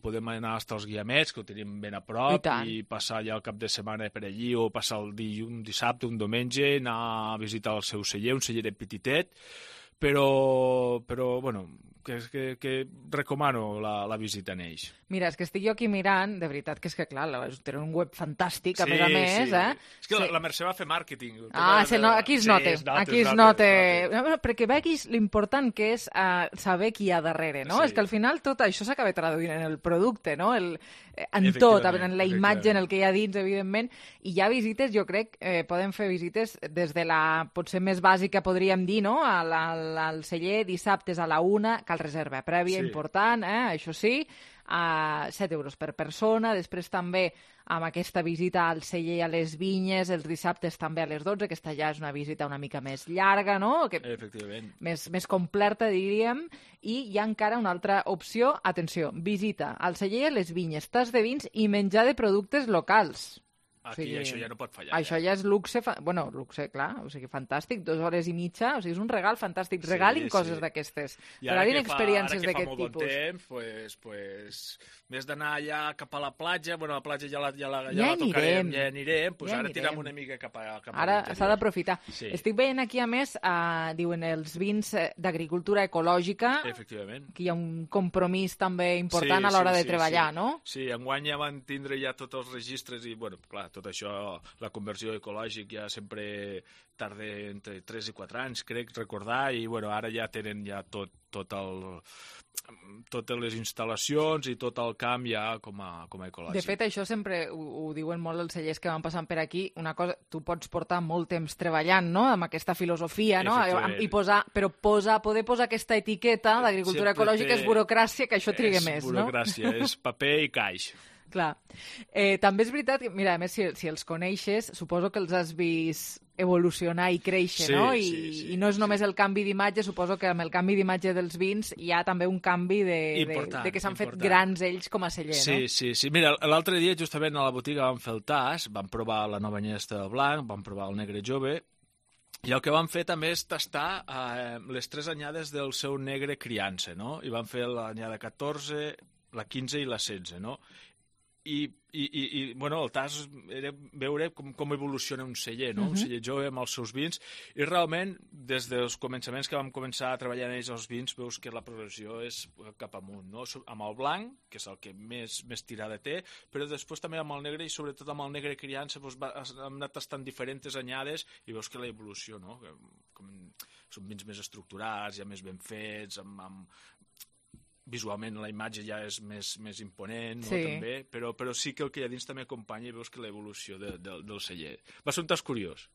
Podem anar fins als Guiamets, que ho tenim ben a prop, i passar ja el cap de setmana per allí, o passar un dissabte, un diumenge, anar a visitar el seu celler, un celleret petitet, però bueno, que recomano la visita en ells. Mira, és que estic jo aquí mirant, de veritat que és que, clar, tenen un web fantàstic, a més, És que la Mercè va fer màrqueting. Aquí es nota. Perquè veguis l'important que és saber qui hi ha darrere, no? És que al final tot això s'acaba traduint en el producte, no? En tot, en la imatge, en el que hi ha dins, evidentment, i hi ha visites, jo crec, podem fer visites des de la, potser més bàsica, podríem dir, no? Al celler, dissabtes a la 1, cal reserva prèvia, important, això sí, a 7 euros per persona. Després també amb aquesta visita al celler i a les vinyes, els dissabtes també a les 12, aquesta ja és una visita una mica més llarga, no? Efectivament. Més completa, diríem. I hi ha encara una altra opció, atenció, visita al celler i a les vinyes, tas de vins i menjar de productes locals. Aquí això ja no pot fallar. Això ja és luxe, luxe, clar, o sigui, fantàstic, 2 hores i mitja, o sigui, és un regal fantàstic. Regalin coses d'aquestes, regalin experiències d'aquest tipus. Ara que fa molt bon temps, pues, més d'anar allà cap a la platja, bueno, la platja ja la tocarem, ja anirem, pues ara tirem una mica cap a ara s'ha d'aprofitar. Estic veient aquí, a més, diuen els vins d'agricultura ecològica, efectivament, que hi ha un compromís també important a l'hora de treballar, no? Sí, enguany ja van tindre ja tots els registres i, bueno, clar, tot això, la conversió ecològica ja sempre tarda entre 3 i 4 anys, crec recordar, i bueno, ara ja tenen ja totes les instal·lacions i tot el camp ja com a ecològic. De fet, això sempre ho diuen molt els cellers que van passant per aquí. Una cosa, tu pots portar molt temps treballant, no?, amb aquesta filosofia, no?, però poder posar aquesta etiqueta d'agricultura ecològica és burocràcia, que això triga més, no? És burocràcia, és paper i caix. Clar. També és veritat que, mira, a més, si els coneixes, suposo que els has vist evolucionar i créixer, no? I no és només el canvi d'imatge, suposo que amb el canvi d'imatge dels vins hi ha també un canvi de que s'han fet grans ells com a celler, no? Sí. Mira, l'altre dia, justament a la botiga vam fer el tas, vam provar la nova anyada de blanc, vam provar el negre jove, i el que vam fer també és tastar les 3 anyades del seu negre criança, no? I vam fer l'anyada 14, la 15 i la 16, no? I bueno, el tas era veure com evoluciona un celler, no? Un celler jove amb els seus vins, i realment, des dels començaments que vam començar a treballar en ells els vins, veus que la progressió és cap amunt, no? Amb el blanc, que és el que més tirada té, però després també amb el negre, i sobretot amb el negre criança, hem anat tastant diferents anyades, i veus que la evolució, no? Són vins més estructurats, ja més ben fets, visualment la imatge ja és més imponent, no? També, però sí que el que hi ha dins també acompanya, i veus que l'evolució del celler. Va ser un tas curiós.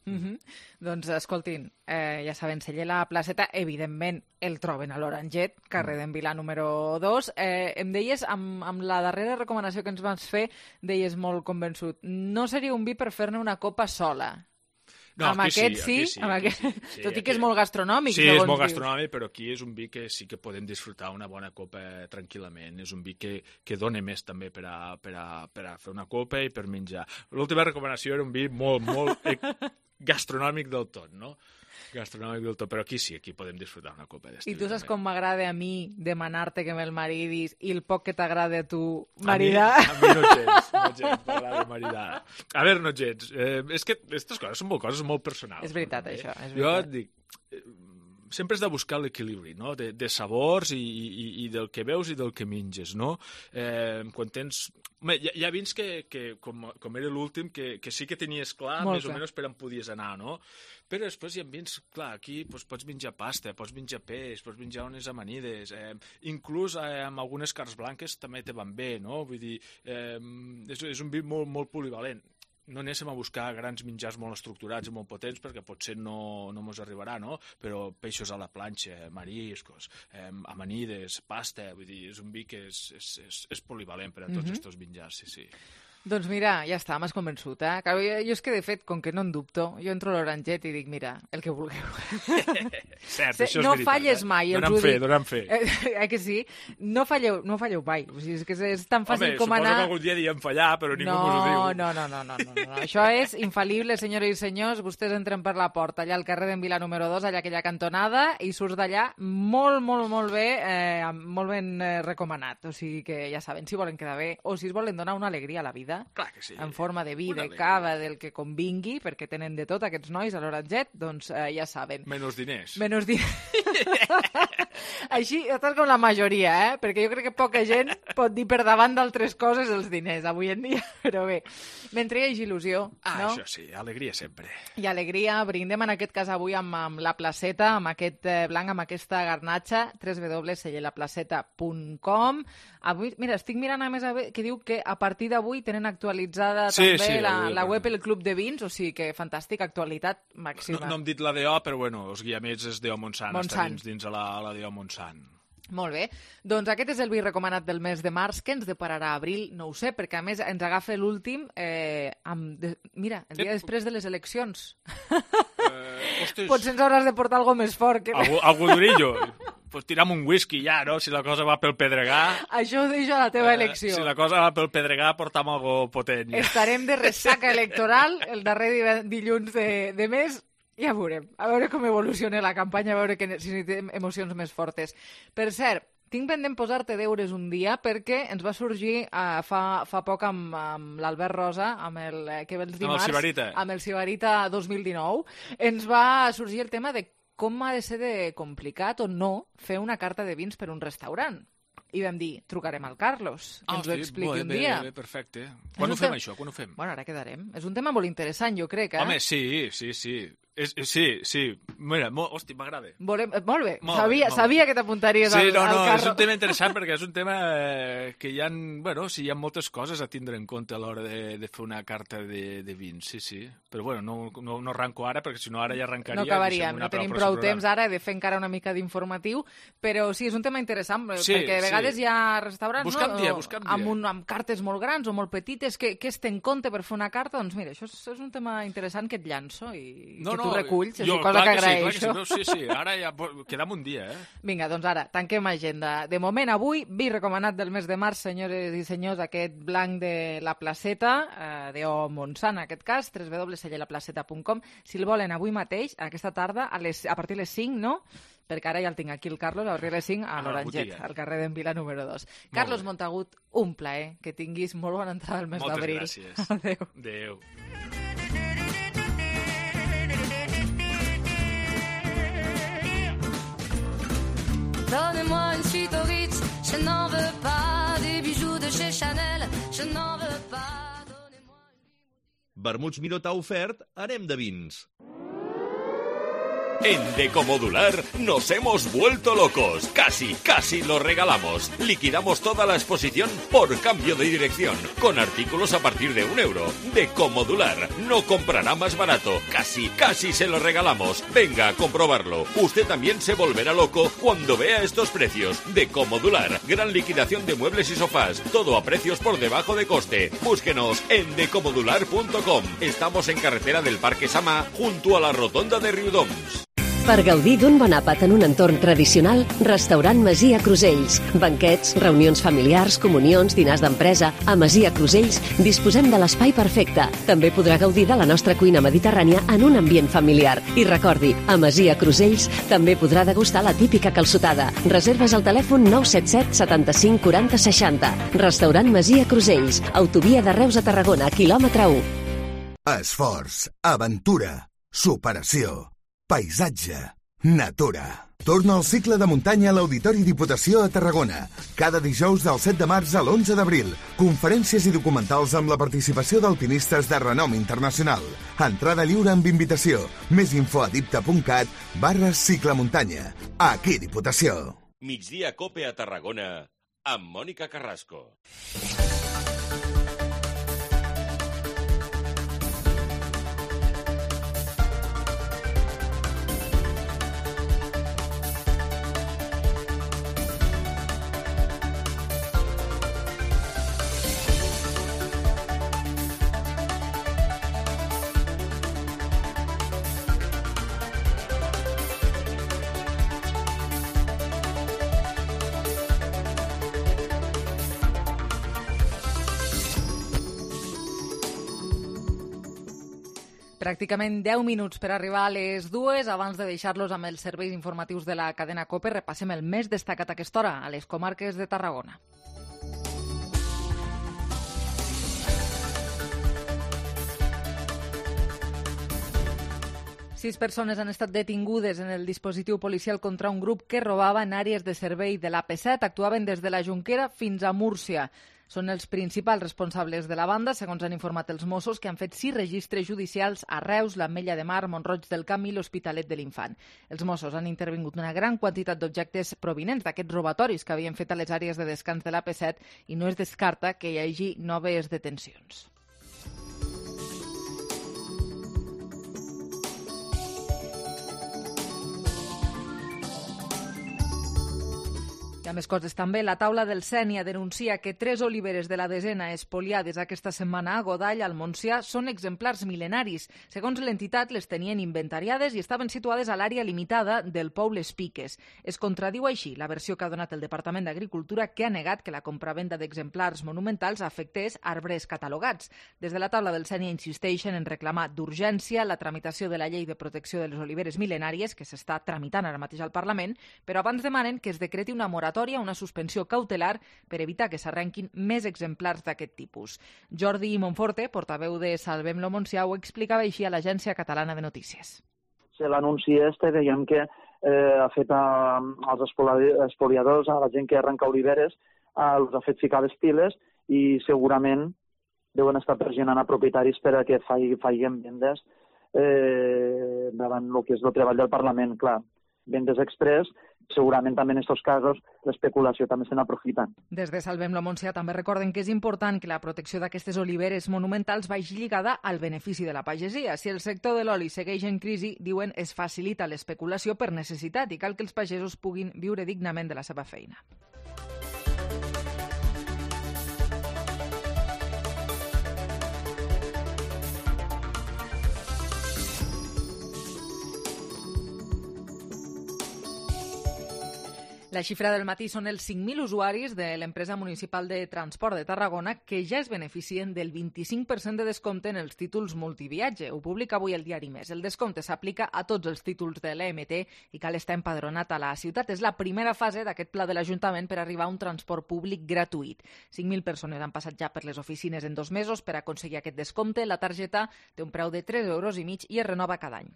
Doncs, escoltin, ja saben, celler La Placeta, evidentment el troben a l'Oranget, carrer d'en Vilà número 2. Em deies, amb la darrera recomanació que ens vas fer, deies molt convençut, no seria un vi per fer-ne una copa sola. No, amb aquest sí, tot i que és molt gastronòmic. Sí, és molt gastronòmic, però aquí és un vi que sí que podem disfrutar una bona copa tranquil·lament. És un vi que dona més també per a fer una copa i per menjar. L'última recomanació era un vi molt gastronòmic del tot, no? Gastronòmic del tot, però aquí sí, aquí podem disfrutar una copa d'estil. I tu saps com m'agrada a mi demanar-te que me'l maridis i el poc que t'agrada a tu maridar? A mi no gens, m'agrada maridar. A veure, no gens. És que aquestes coses són coses molt personals. És veritat, això. Jo et dic, sempre has de buscar l'equilibri, no?, de sabors i del que veus i del que menges, no? Quan tens... Hi ha vins que com era l'últim, que sí que tenies clar més o menys per on podies anar, no? Però després hi ha vins, clar, aquí pots menjar pasta, pots menjar peix, pots menjar unes amanides, inclús amb algunes carns blanques també te van bé, no? Vull dir, és un vi molt polivalent. No anéssim a buscar grans menjars molt estructurats i molt potents, perquè potser no mos arribarà, no? Però peixos a la planxa, mariscos, amanides, pasta, vull dir, és un vi que és polivalent per a tots aquests menjars, sí. Doncs mira, ja està, m'has convençut, eh? Jo és que, de fet, com que no en dubto, jo entro a l'Oranget i dic, mira, el que vulgueu. Cert, això és veritat. No falles mai. Dona'm fe. Que sí? No falleu mai. O sigui, és que és tan fàcil com anar... Home, suposo que algun dia diem fallar, però ningú us ho diu. No. Això és infal·lible, senyores i senyors. Vostès entren per la porta, allà al carrer d'en Vila número 2, allà aquella cantonada, i surts d'allà molt bé, molt ben recomanat. O sigui que ja saben, si volen quedar bé o si es volen donar una alegria a la vida, clar que sí. En forma de vi, de cava, del que convingui, perquè tenen de tot aquests nois a l'Oranget, doncs ja saben. Menys diners. Així, estàs com la majoria, perquè jo crec que poca gent pot dir per davant d'altres coses els diners avui en dia, però bé, mentre hi hagi il·lusió, no? Això sí, alegria sempre. I alegria, brindem en aquest cas avui amb la placeta, amb aquest blanc, amb aquesta garnatxa, www.sellelaplaceta.com. Avui, mira, estic mirant a més que diu que a partir d'avui tenen actualitzada també la web El Club de Vins, o sigui que fantàstic, actualitat màxima. No hem dit la DO, però bueno, els guiamets és DO Montsant. Està dins a la DO Montsant. Molt bé. Doncs aquest és el vi recomanat del mes de març. Què ens depararà abril? No ho sé, perquè a més ens agafa l'últim mira, el dia després de les eleccions. Potser ens hauràs de portar alguna més fort. Algú durillo. Pues tiram un whisky ja, no? Si la cosa va pel pedregar... Això ho deixo a la teva elecció. Si la cosa va pel pedregar, portam algo potent. Ja. Estarem de ressaca electoral el darrer dilluns de mes. Ja veurem. A veure com evoluciona la campanya, a veure si necessitem emocions més fortes. Per cert, tinc pendent posar-te deures un dia perquè ens va sorgir fa poc amb l'Albert Rosa, amb el Sibarita. Amb el Sibarita 2019, ens va sorgir el tema de com ha de ser de complicat o no fer una carta de vins per un restaurant. I vam dir, trucarem al Carlos, que ens ho expliqui un dia. Bé, perfecte. Quan ho fem, això? Quan ho fem? Bueno, ara quedarem. És un tema molt interessant, jo crec, eh? Home, sí. Sí. Mira, hosti, m'agrada. Molt bé. Sabia que t'apuntaries al Carlos. És un tema interessant perquè és un tema que hi ha, hi ha moltes coses a tindre en compte a l'hora de fer una carta de vins, sí. Però no arranco ara, perquè si no ara ja arrancaria. No acabaríem, no tenim prou temps ara, he de fer encara una mica d'informatiu, però sí, és un tema interessant, perquè a vegades hi ha restaurants amb cartes molt grans o molt petites, que es té en compte per fer una carta, doncs mira, això és un tema interessant que et llanço i tu reculls, és una cosa que agraeixo. Sí, ara ja quedam un dia, Vinga, doncs ara, tanquem agenda. De moment, avui, vi recomanat del mes de març, senyores i senyors, aquest blanc de la placeta, d'O Montsant, en aquest cas, www.sellelaplaceta.com. Si el volen avui mateix, aquesta tarda, a partir de les 5, no? Perquè ara ja el tinc aquí, el Carlos, a partir de les 5, a l'Oranget, al carrer d'en Vila número 2. Carlos Montagut, un plaer, que tinguis molt bona entrada al mes d'abril. Moltes gràcies. Adéu. Donnez-moi une suite au Ritz, je n'en veux pas. Des bijoux de chez Chanel, je n'en veux pas. Donnez-moi une... Vermuts Miró t'ha ofert Anem de Vins. En Decomodular nos hemos vuelto locos. Casi lo regalamos. Liquidamos toda la exposición por cambio de dirección, con artículos a partir de €1. Decomodular no comprará más barato. Casi se lo regalamos. Venga a comprobarlo. Usted también se volverá loco cuando vea estos precios. Decomodular, gran liquidación de muebles y sofás. Todo a precios por debajo de coste. Búsquenos en decomodular.com. Estamos en carretera del Parque Samà, junto a la rotonda de Riudoms. Per gaudir d'un bon àpat en un entorn tradicional, Restaurant Masia Crusells. Banquets, reunions familiars, comunions, dinars d'empresa... A Masia Crusells disposem de l'espai perfecte. També podrà gaudir de la nostra cuina mediterrània en un ambient familiar. I recordi, a Masia Crusells també podrà degustar la típica calçotada. Reserves al telèfon 977 75 40 60. Restaurant Masia Crusells. Autovia de Reus a Tarragona, quilòmetre 1. Esforç, aventura, superació, paisatge, natura. Torna al cicle de muntanya a l'Auditori Diputació a Tarragona. Cada dijous del 7 de març a l'11 d'abril. Conferències i documentals amb la participació d'alpinistes de renom internacional. Entrada lliure amb invitació. Més info a dipta.cat/ciclemuntanya. Aquí Diputació. Migdia Cope a Tarragona amb Mònica Carrasco. Pràcticament 10 minuts per arribar a les 2. Abans de deixar-los amb els serveis informatius de la cadena COPE, repassem el més destacat a aquesta hora, a les comarques de Tarragona. Sis persones han estat detingudes en el dispositiu policial contra un grup que robava en àrees de servei de l'AP7. Actuaven des de la Jonquera fins a Múrcia. Són els principals responsables de la banda, segons han informat els Mossos, que han fet 6 registres judicials a Reus, l'Ametlla de Mar, Mont-roig del Camp i l'Hospitalet de l'Infant. Els Mossos han intervingut una gran quantitat d'objectes provinents d'aquests robatoris que havien fet a les àrees de descans de l'AP7 i no es descarta que hi hagi noves detencions. I a més coses també, la taula del Sénia denuncia que 3 oliveres de la desena espoliades aquesta setmana a Godall, al Montsià, són exemplars mil·lenaris. Segons l'entitat, les tenien inventariades i estaven situades a l'àrea limitada del Pou Les Piques. Es contradiu així la versió que ha donat el Departament d'Agricultura, que ha negat que la compravenda d'exemplars monumentals afectés arbres catalogats. Des de la taula del Sénia insisteixen en reclamar d'urgència la tramitació de la llei de protecció de les oliveres mil·lenàries, que s'està tramitant ara mateix al Parlament, però abans demanen que es decreti una moratòria, una suspensió cautelar per evitar que s'arrenquin més exemplars d'aquest tipus. Jordi Monforte, portaveu de Salvem-lo Montsià, ho explicava així a l'Agència Catalana de Notícies. L'anunci veiem que ha fet als espoliadors, a la gent que arrenca oliveres, els ha fet ficar les piles i segurament deuen estar pressionant a propietaris per a que facin vendes davant el que és el treball del Parlament, clar. Vendes express, segurament també en aquests casos l'especulació també se n'aprofiten. Des de Salvem-lo Montsià també recorden que és important que la protecció d'aquestes oliveres monumentals vagi lligada al benefici de la pagesia. Si el sector de l'oli segueix en crisi, diuen, es facilita l'especulació per necessitat i cal que els pagesos puguin viure dignament de la seva feina. La xifra del matí són els 5.000 usuaris de l'empresa municipal de transport de Tarragona que ja es beneficien del 25% de descompte en els títols multiviatge. Ho publica avui el diari Més. El descompte s'aplica a tots els títols de l'EMT i cal estar empadronat a la ciutat. És la primera fase d'aquest pla de l'Ajuntament per arribar a un transport públic gratuït. 5.000 persones han passat ja per les oficines en 2 mesos per aconseguir aquest descompte. La targeta té un preu de 3,5 euros i es renova cada any.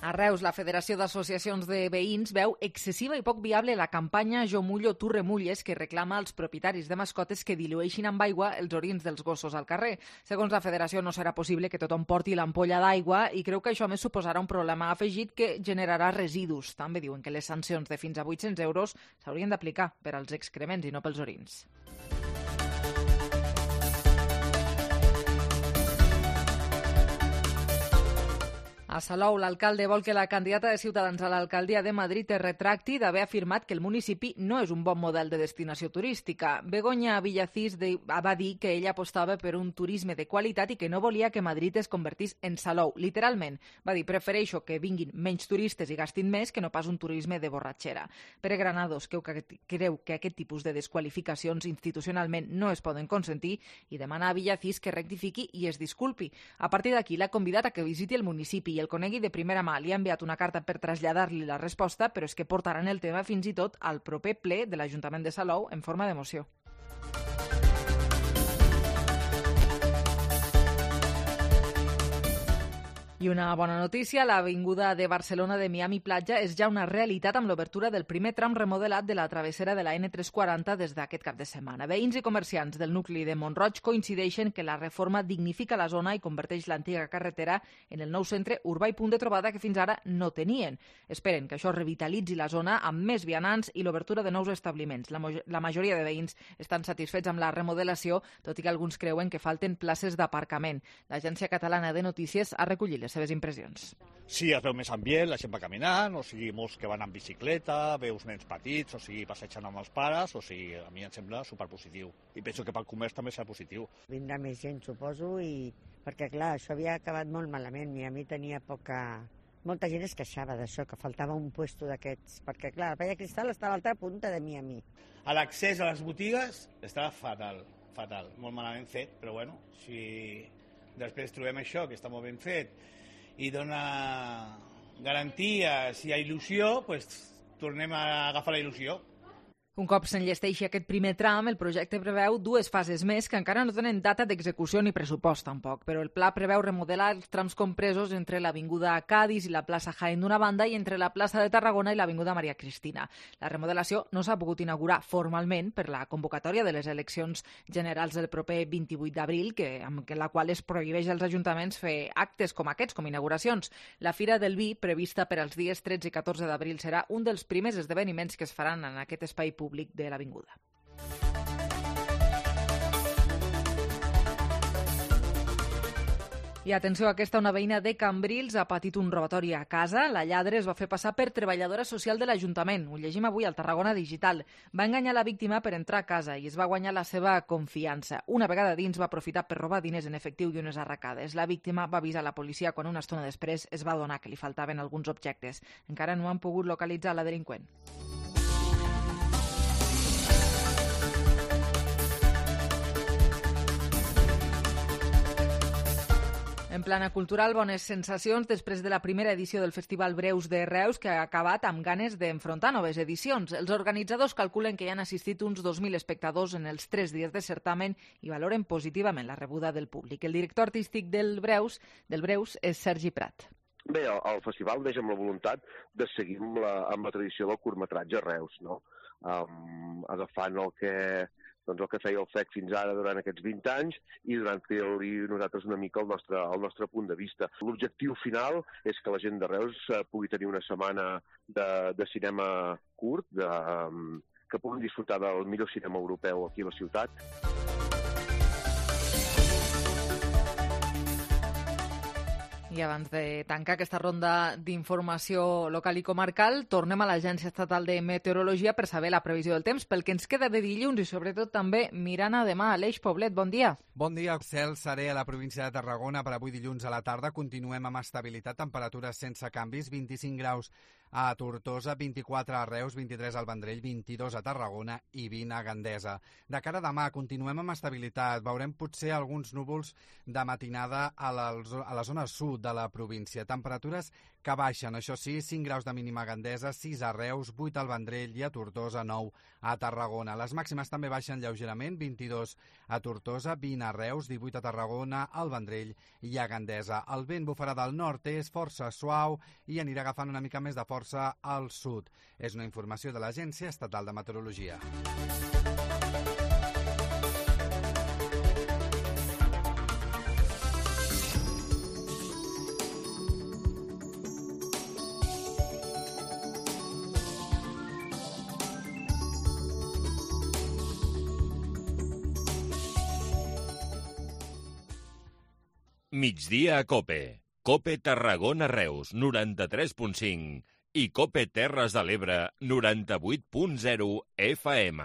A Reus, la Federació d'Associacions de Veïns veu excessiva i poc viable la campanya Jo mullo, tu remulles, que reclama als propietaris de mascotes que dilueixin amb aigua els orins dels gossos al carrer. Segons la Federació, no serà possible que tothom porti l'ampolla d'aigua i creu que això més suposarà un problema afegit que generarà residus. També diuen que les sancions de fins a 800 euros s'haurien d'aplicar per als excrements i no pels orins. A Salou, l'alcalde vol que la candidata de Ciutadans a l'alcaldia de Madrid es retracti d'haver afirmat que el municipi no és un bon model de destinació turística. Begoña Villacís va dir que ella apostava per un turisme de qualitat i que no volia que Madrid es convertís en Salou. Literalment, va dir, prefereixo que vinguin menys turistes i gastin més que no pas un turisme de borratxera. Pere Granados creu que aquest tipus de desqualificacions institucionalment no es poden consentir i demana a Villacís que rectifiqui i es disculpi. A partir d'aquí, l'ha convidat a que visiti el municipi i el conegui de primera mà. Li ha enviat una carta per traslladar-li la resposta, però és que portaran el tema fins i tot al proper ple de l'Ajuntament de Salou en forma de moció. I una bona notícia, l'avinguda de Barcelona de Miami Platja és ja una realitat amb l'obertura del primer tram remodelat de la travessera de la N340 des d'aquest cap de setmana. Veïns i comerciants del nucli de Mont-roig coincideixen que la reforma dignifica la zona i converteix l'antiga carretera en el nou centre urbà i punt de trobada que fins ara no tenien. Esperen que això revitalitzi la zona amb més vianants i l'obertura de nous establiments. La majoria de veïns estan satisfets amb la remodelació, tot i que alguns creuen que falten places d'aparcament. L'Agència Catalana de Notícies ha recollit les seves impressions. Sí, es veu més ambient, la gent va caminant, o sigui, molts que van en bicicleta, veus nens petits, o sigui, passejant amb els pares, o sigui, a mi em sembla superpositiu. I penso que pel comerç també serà positiu. Vindrà més gent, suposo, i perquè, clar, això havia acabat molt malament, i a mi tenia poca... Molta gent es queixava d'això, que faltava un puesto d'aquests, perquè, clar, la Palla Cristal està a l'altra punta de Miami. L'accés a les botigues està fatal. fatal, molt malament fet, però bueno, si després trobem això, que està molt ben fet, i dona garanties, hi ha il·lusió, doncs tornem a agafar la il·lusió. Un cop s'enllesteixi aquest primer tram, el projecte preveu 2 fases més que encara no tenen data d'execució ni pressupost tampoc, però el pla preveu remodelar els trams compresos entre l'Avinguda Cadis i la plaça Jaén d'una banda i entre la plaça de Tarragona i l'Avinguda Maria Cristina. La remodelació no s'ha pogut inaugurar formalment per la convocatòria de les eleccions generals del proper 28 d'abril, amb la qual es prohibeix als ajuntaments fer actes com aquests, com inauguracions. La Fira del Vi, prevista per als dies 13 i 14 d'abril, serà un dels primers esdeveniments que es faran en aquest espai públic de l'avinguda. I atenció, aquesta una veïna de Cambrils ha patit un robatori a casa. La lladre es va fer passar per treballadora social de l'Ajuntament. Ho llegim avui al Tarragona Digital. Va enganyar la víctima per entrar a casa i es va guanyar la seva confiança. Una vegada dins va aprofitar per robar diners en efectiu i unes arracades. La víctima va avisar la policia quan una estona després es va adonar que li faltaven alguns objectes. Encara no han pogut localitzar la delinqüent. En plana cultural, bones sensacions després de la primera edició del Festival Breus de Reus, que ha acabat amb ganes d'enfrontar noves edicions. Els organitzadors calculen que hi han assistit uns 2.000 espectadors en els 3 dies de certamen i valoren positivament la rebuda del públic. El director artístic del Breus és Sergi Prat. Bé, el festival neix amb la voluntat de seguir amb la tradició del curtmetratge Reus, no? Agafant el que feia el FEC fins ara durant aquests 20 anys i durant fer-li nosaltres una mica el nostre punt de vista. L'objectiu final és que la gent de Reus pugui tenir una setmana de cinema curt, que puguin disfrutar del millor cinema europeu aquí a la ciutat. I abans de tancar aquesta ronda d'informació local i comarcal, tornem a l'Agència Estatal de Meteorologia per saber la previsió del temps, pel que ens queda de dilluns i sobretot també mirant a demà. Aleix Poblet, bon dia. Bon dia. Cel serè a la província de Tarragona per avui dilluns a la tarda. Continuem amb estabilitat, temperatures sense canvis, 25 graus a Tortosa, 24 a Reus, 23 al Vendrell, 22 a Tarragona i 20 a Gandesa. De cara a demà continuem amb estabilitat. Veurem potser alguns núvols de matinada a la zona sud de la província. Temperatures que baixen, això sí, 5 graus de mínima a Gandesa, 6 a Reus, 8 al Vendrell i a Tortosa, 9 a Tarragona. Les màximes també baixen lleugerament, 22 a Tortosa, 20 a Reus, 18 a Tarragona, al Vendrell i a Gandesa. El vent bufarà del nord, és força suau i anirà agafant una mica més de força al sud. És una informació de l'Agència Estatal de Meteorologia. Migdia a COPE. COPE Tarragona Reus, 93.5 i COPE Terres de l'Ebre, 98.0 FM.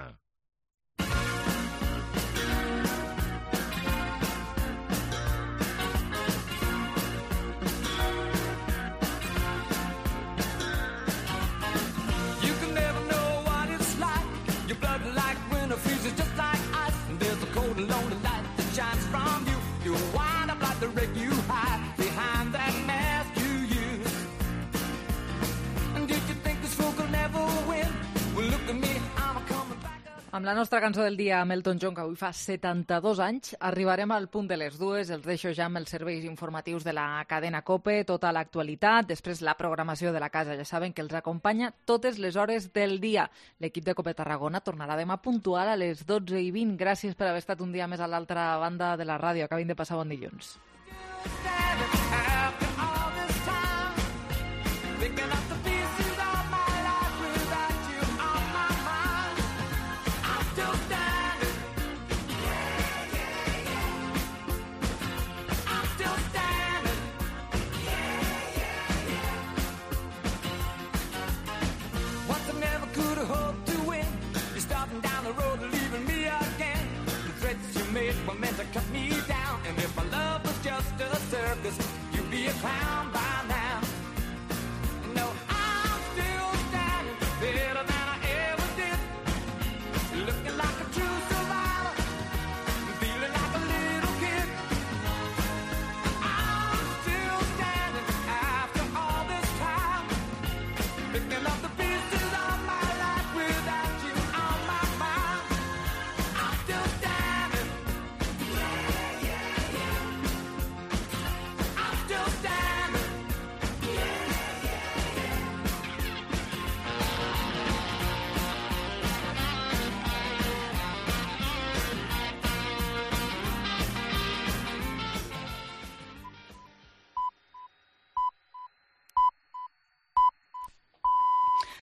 You can never know what it's like. Your blood like winter freezes just like ice. And there's a cold and lonely light that shines from you. You wind up like the wreck you hide behind that mask you use. And did you think this fool could never win? Well, look at me, I'm coming back. Amb la nostra cançó del dia, amb Elton John, que avui fa 72 anys, arribarem al punt de les 2. Els deixo ja amb els serveis informatius de la cadena COPE, tota l'actualitat, després la programació de la casa. Ja saben que els acompanya totes les hores del dia. L'equip de COPE Tarragona tornarà demà puntual a les 12:20. Gràcies per haver estat un dia més a l'altra banda de la ràdio. Acabin de passar bon dilluns.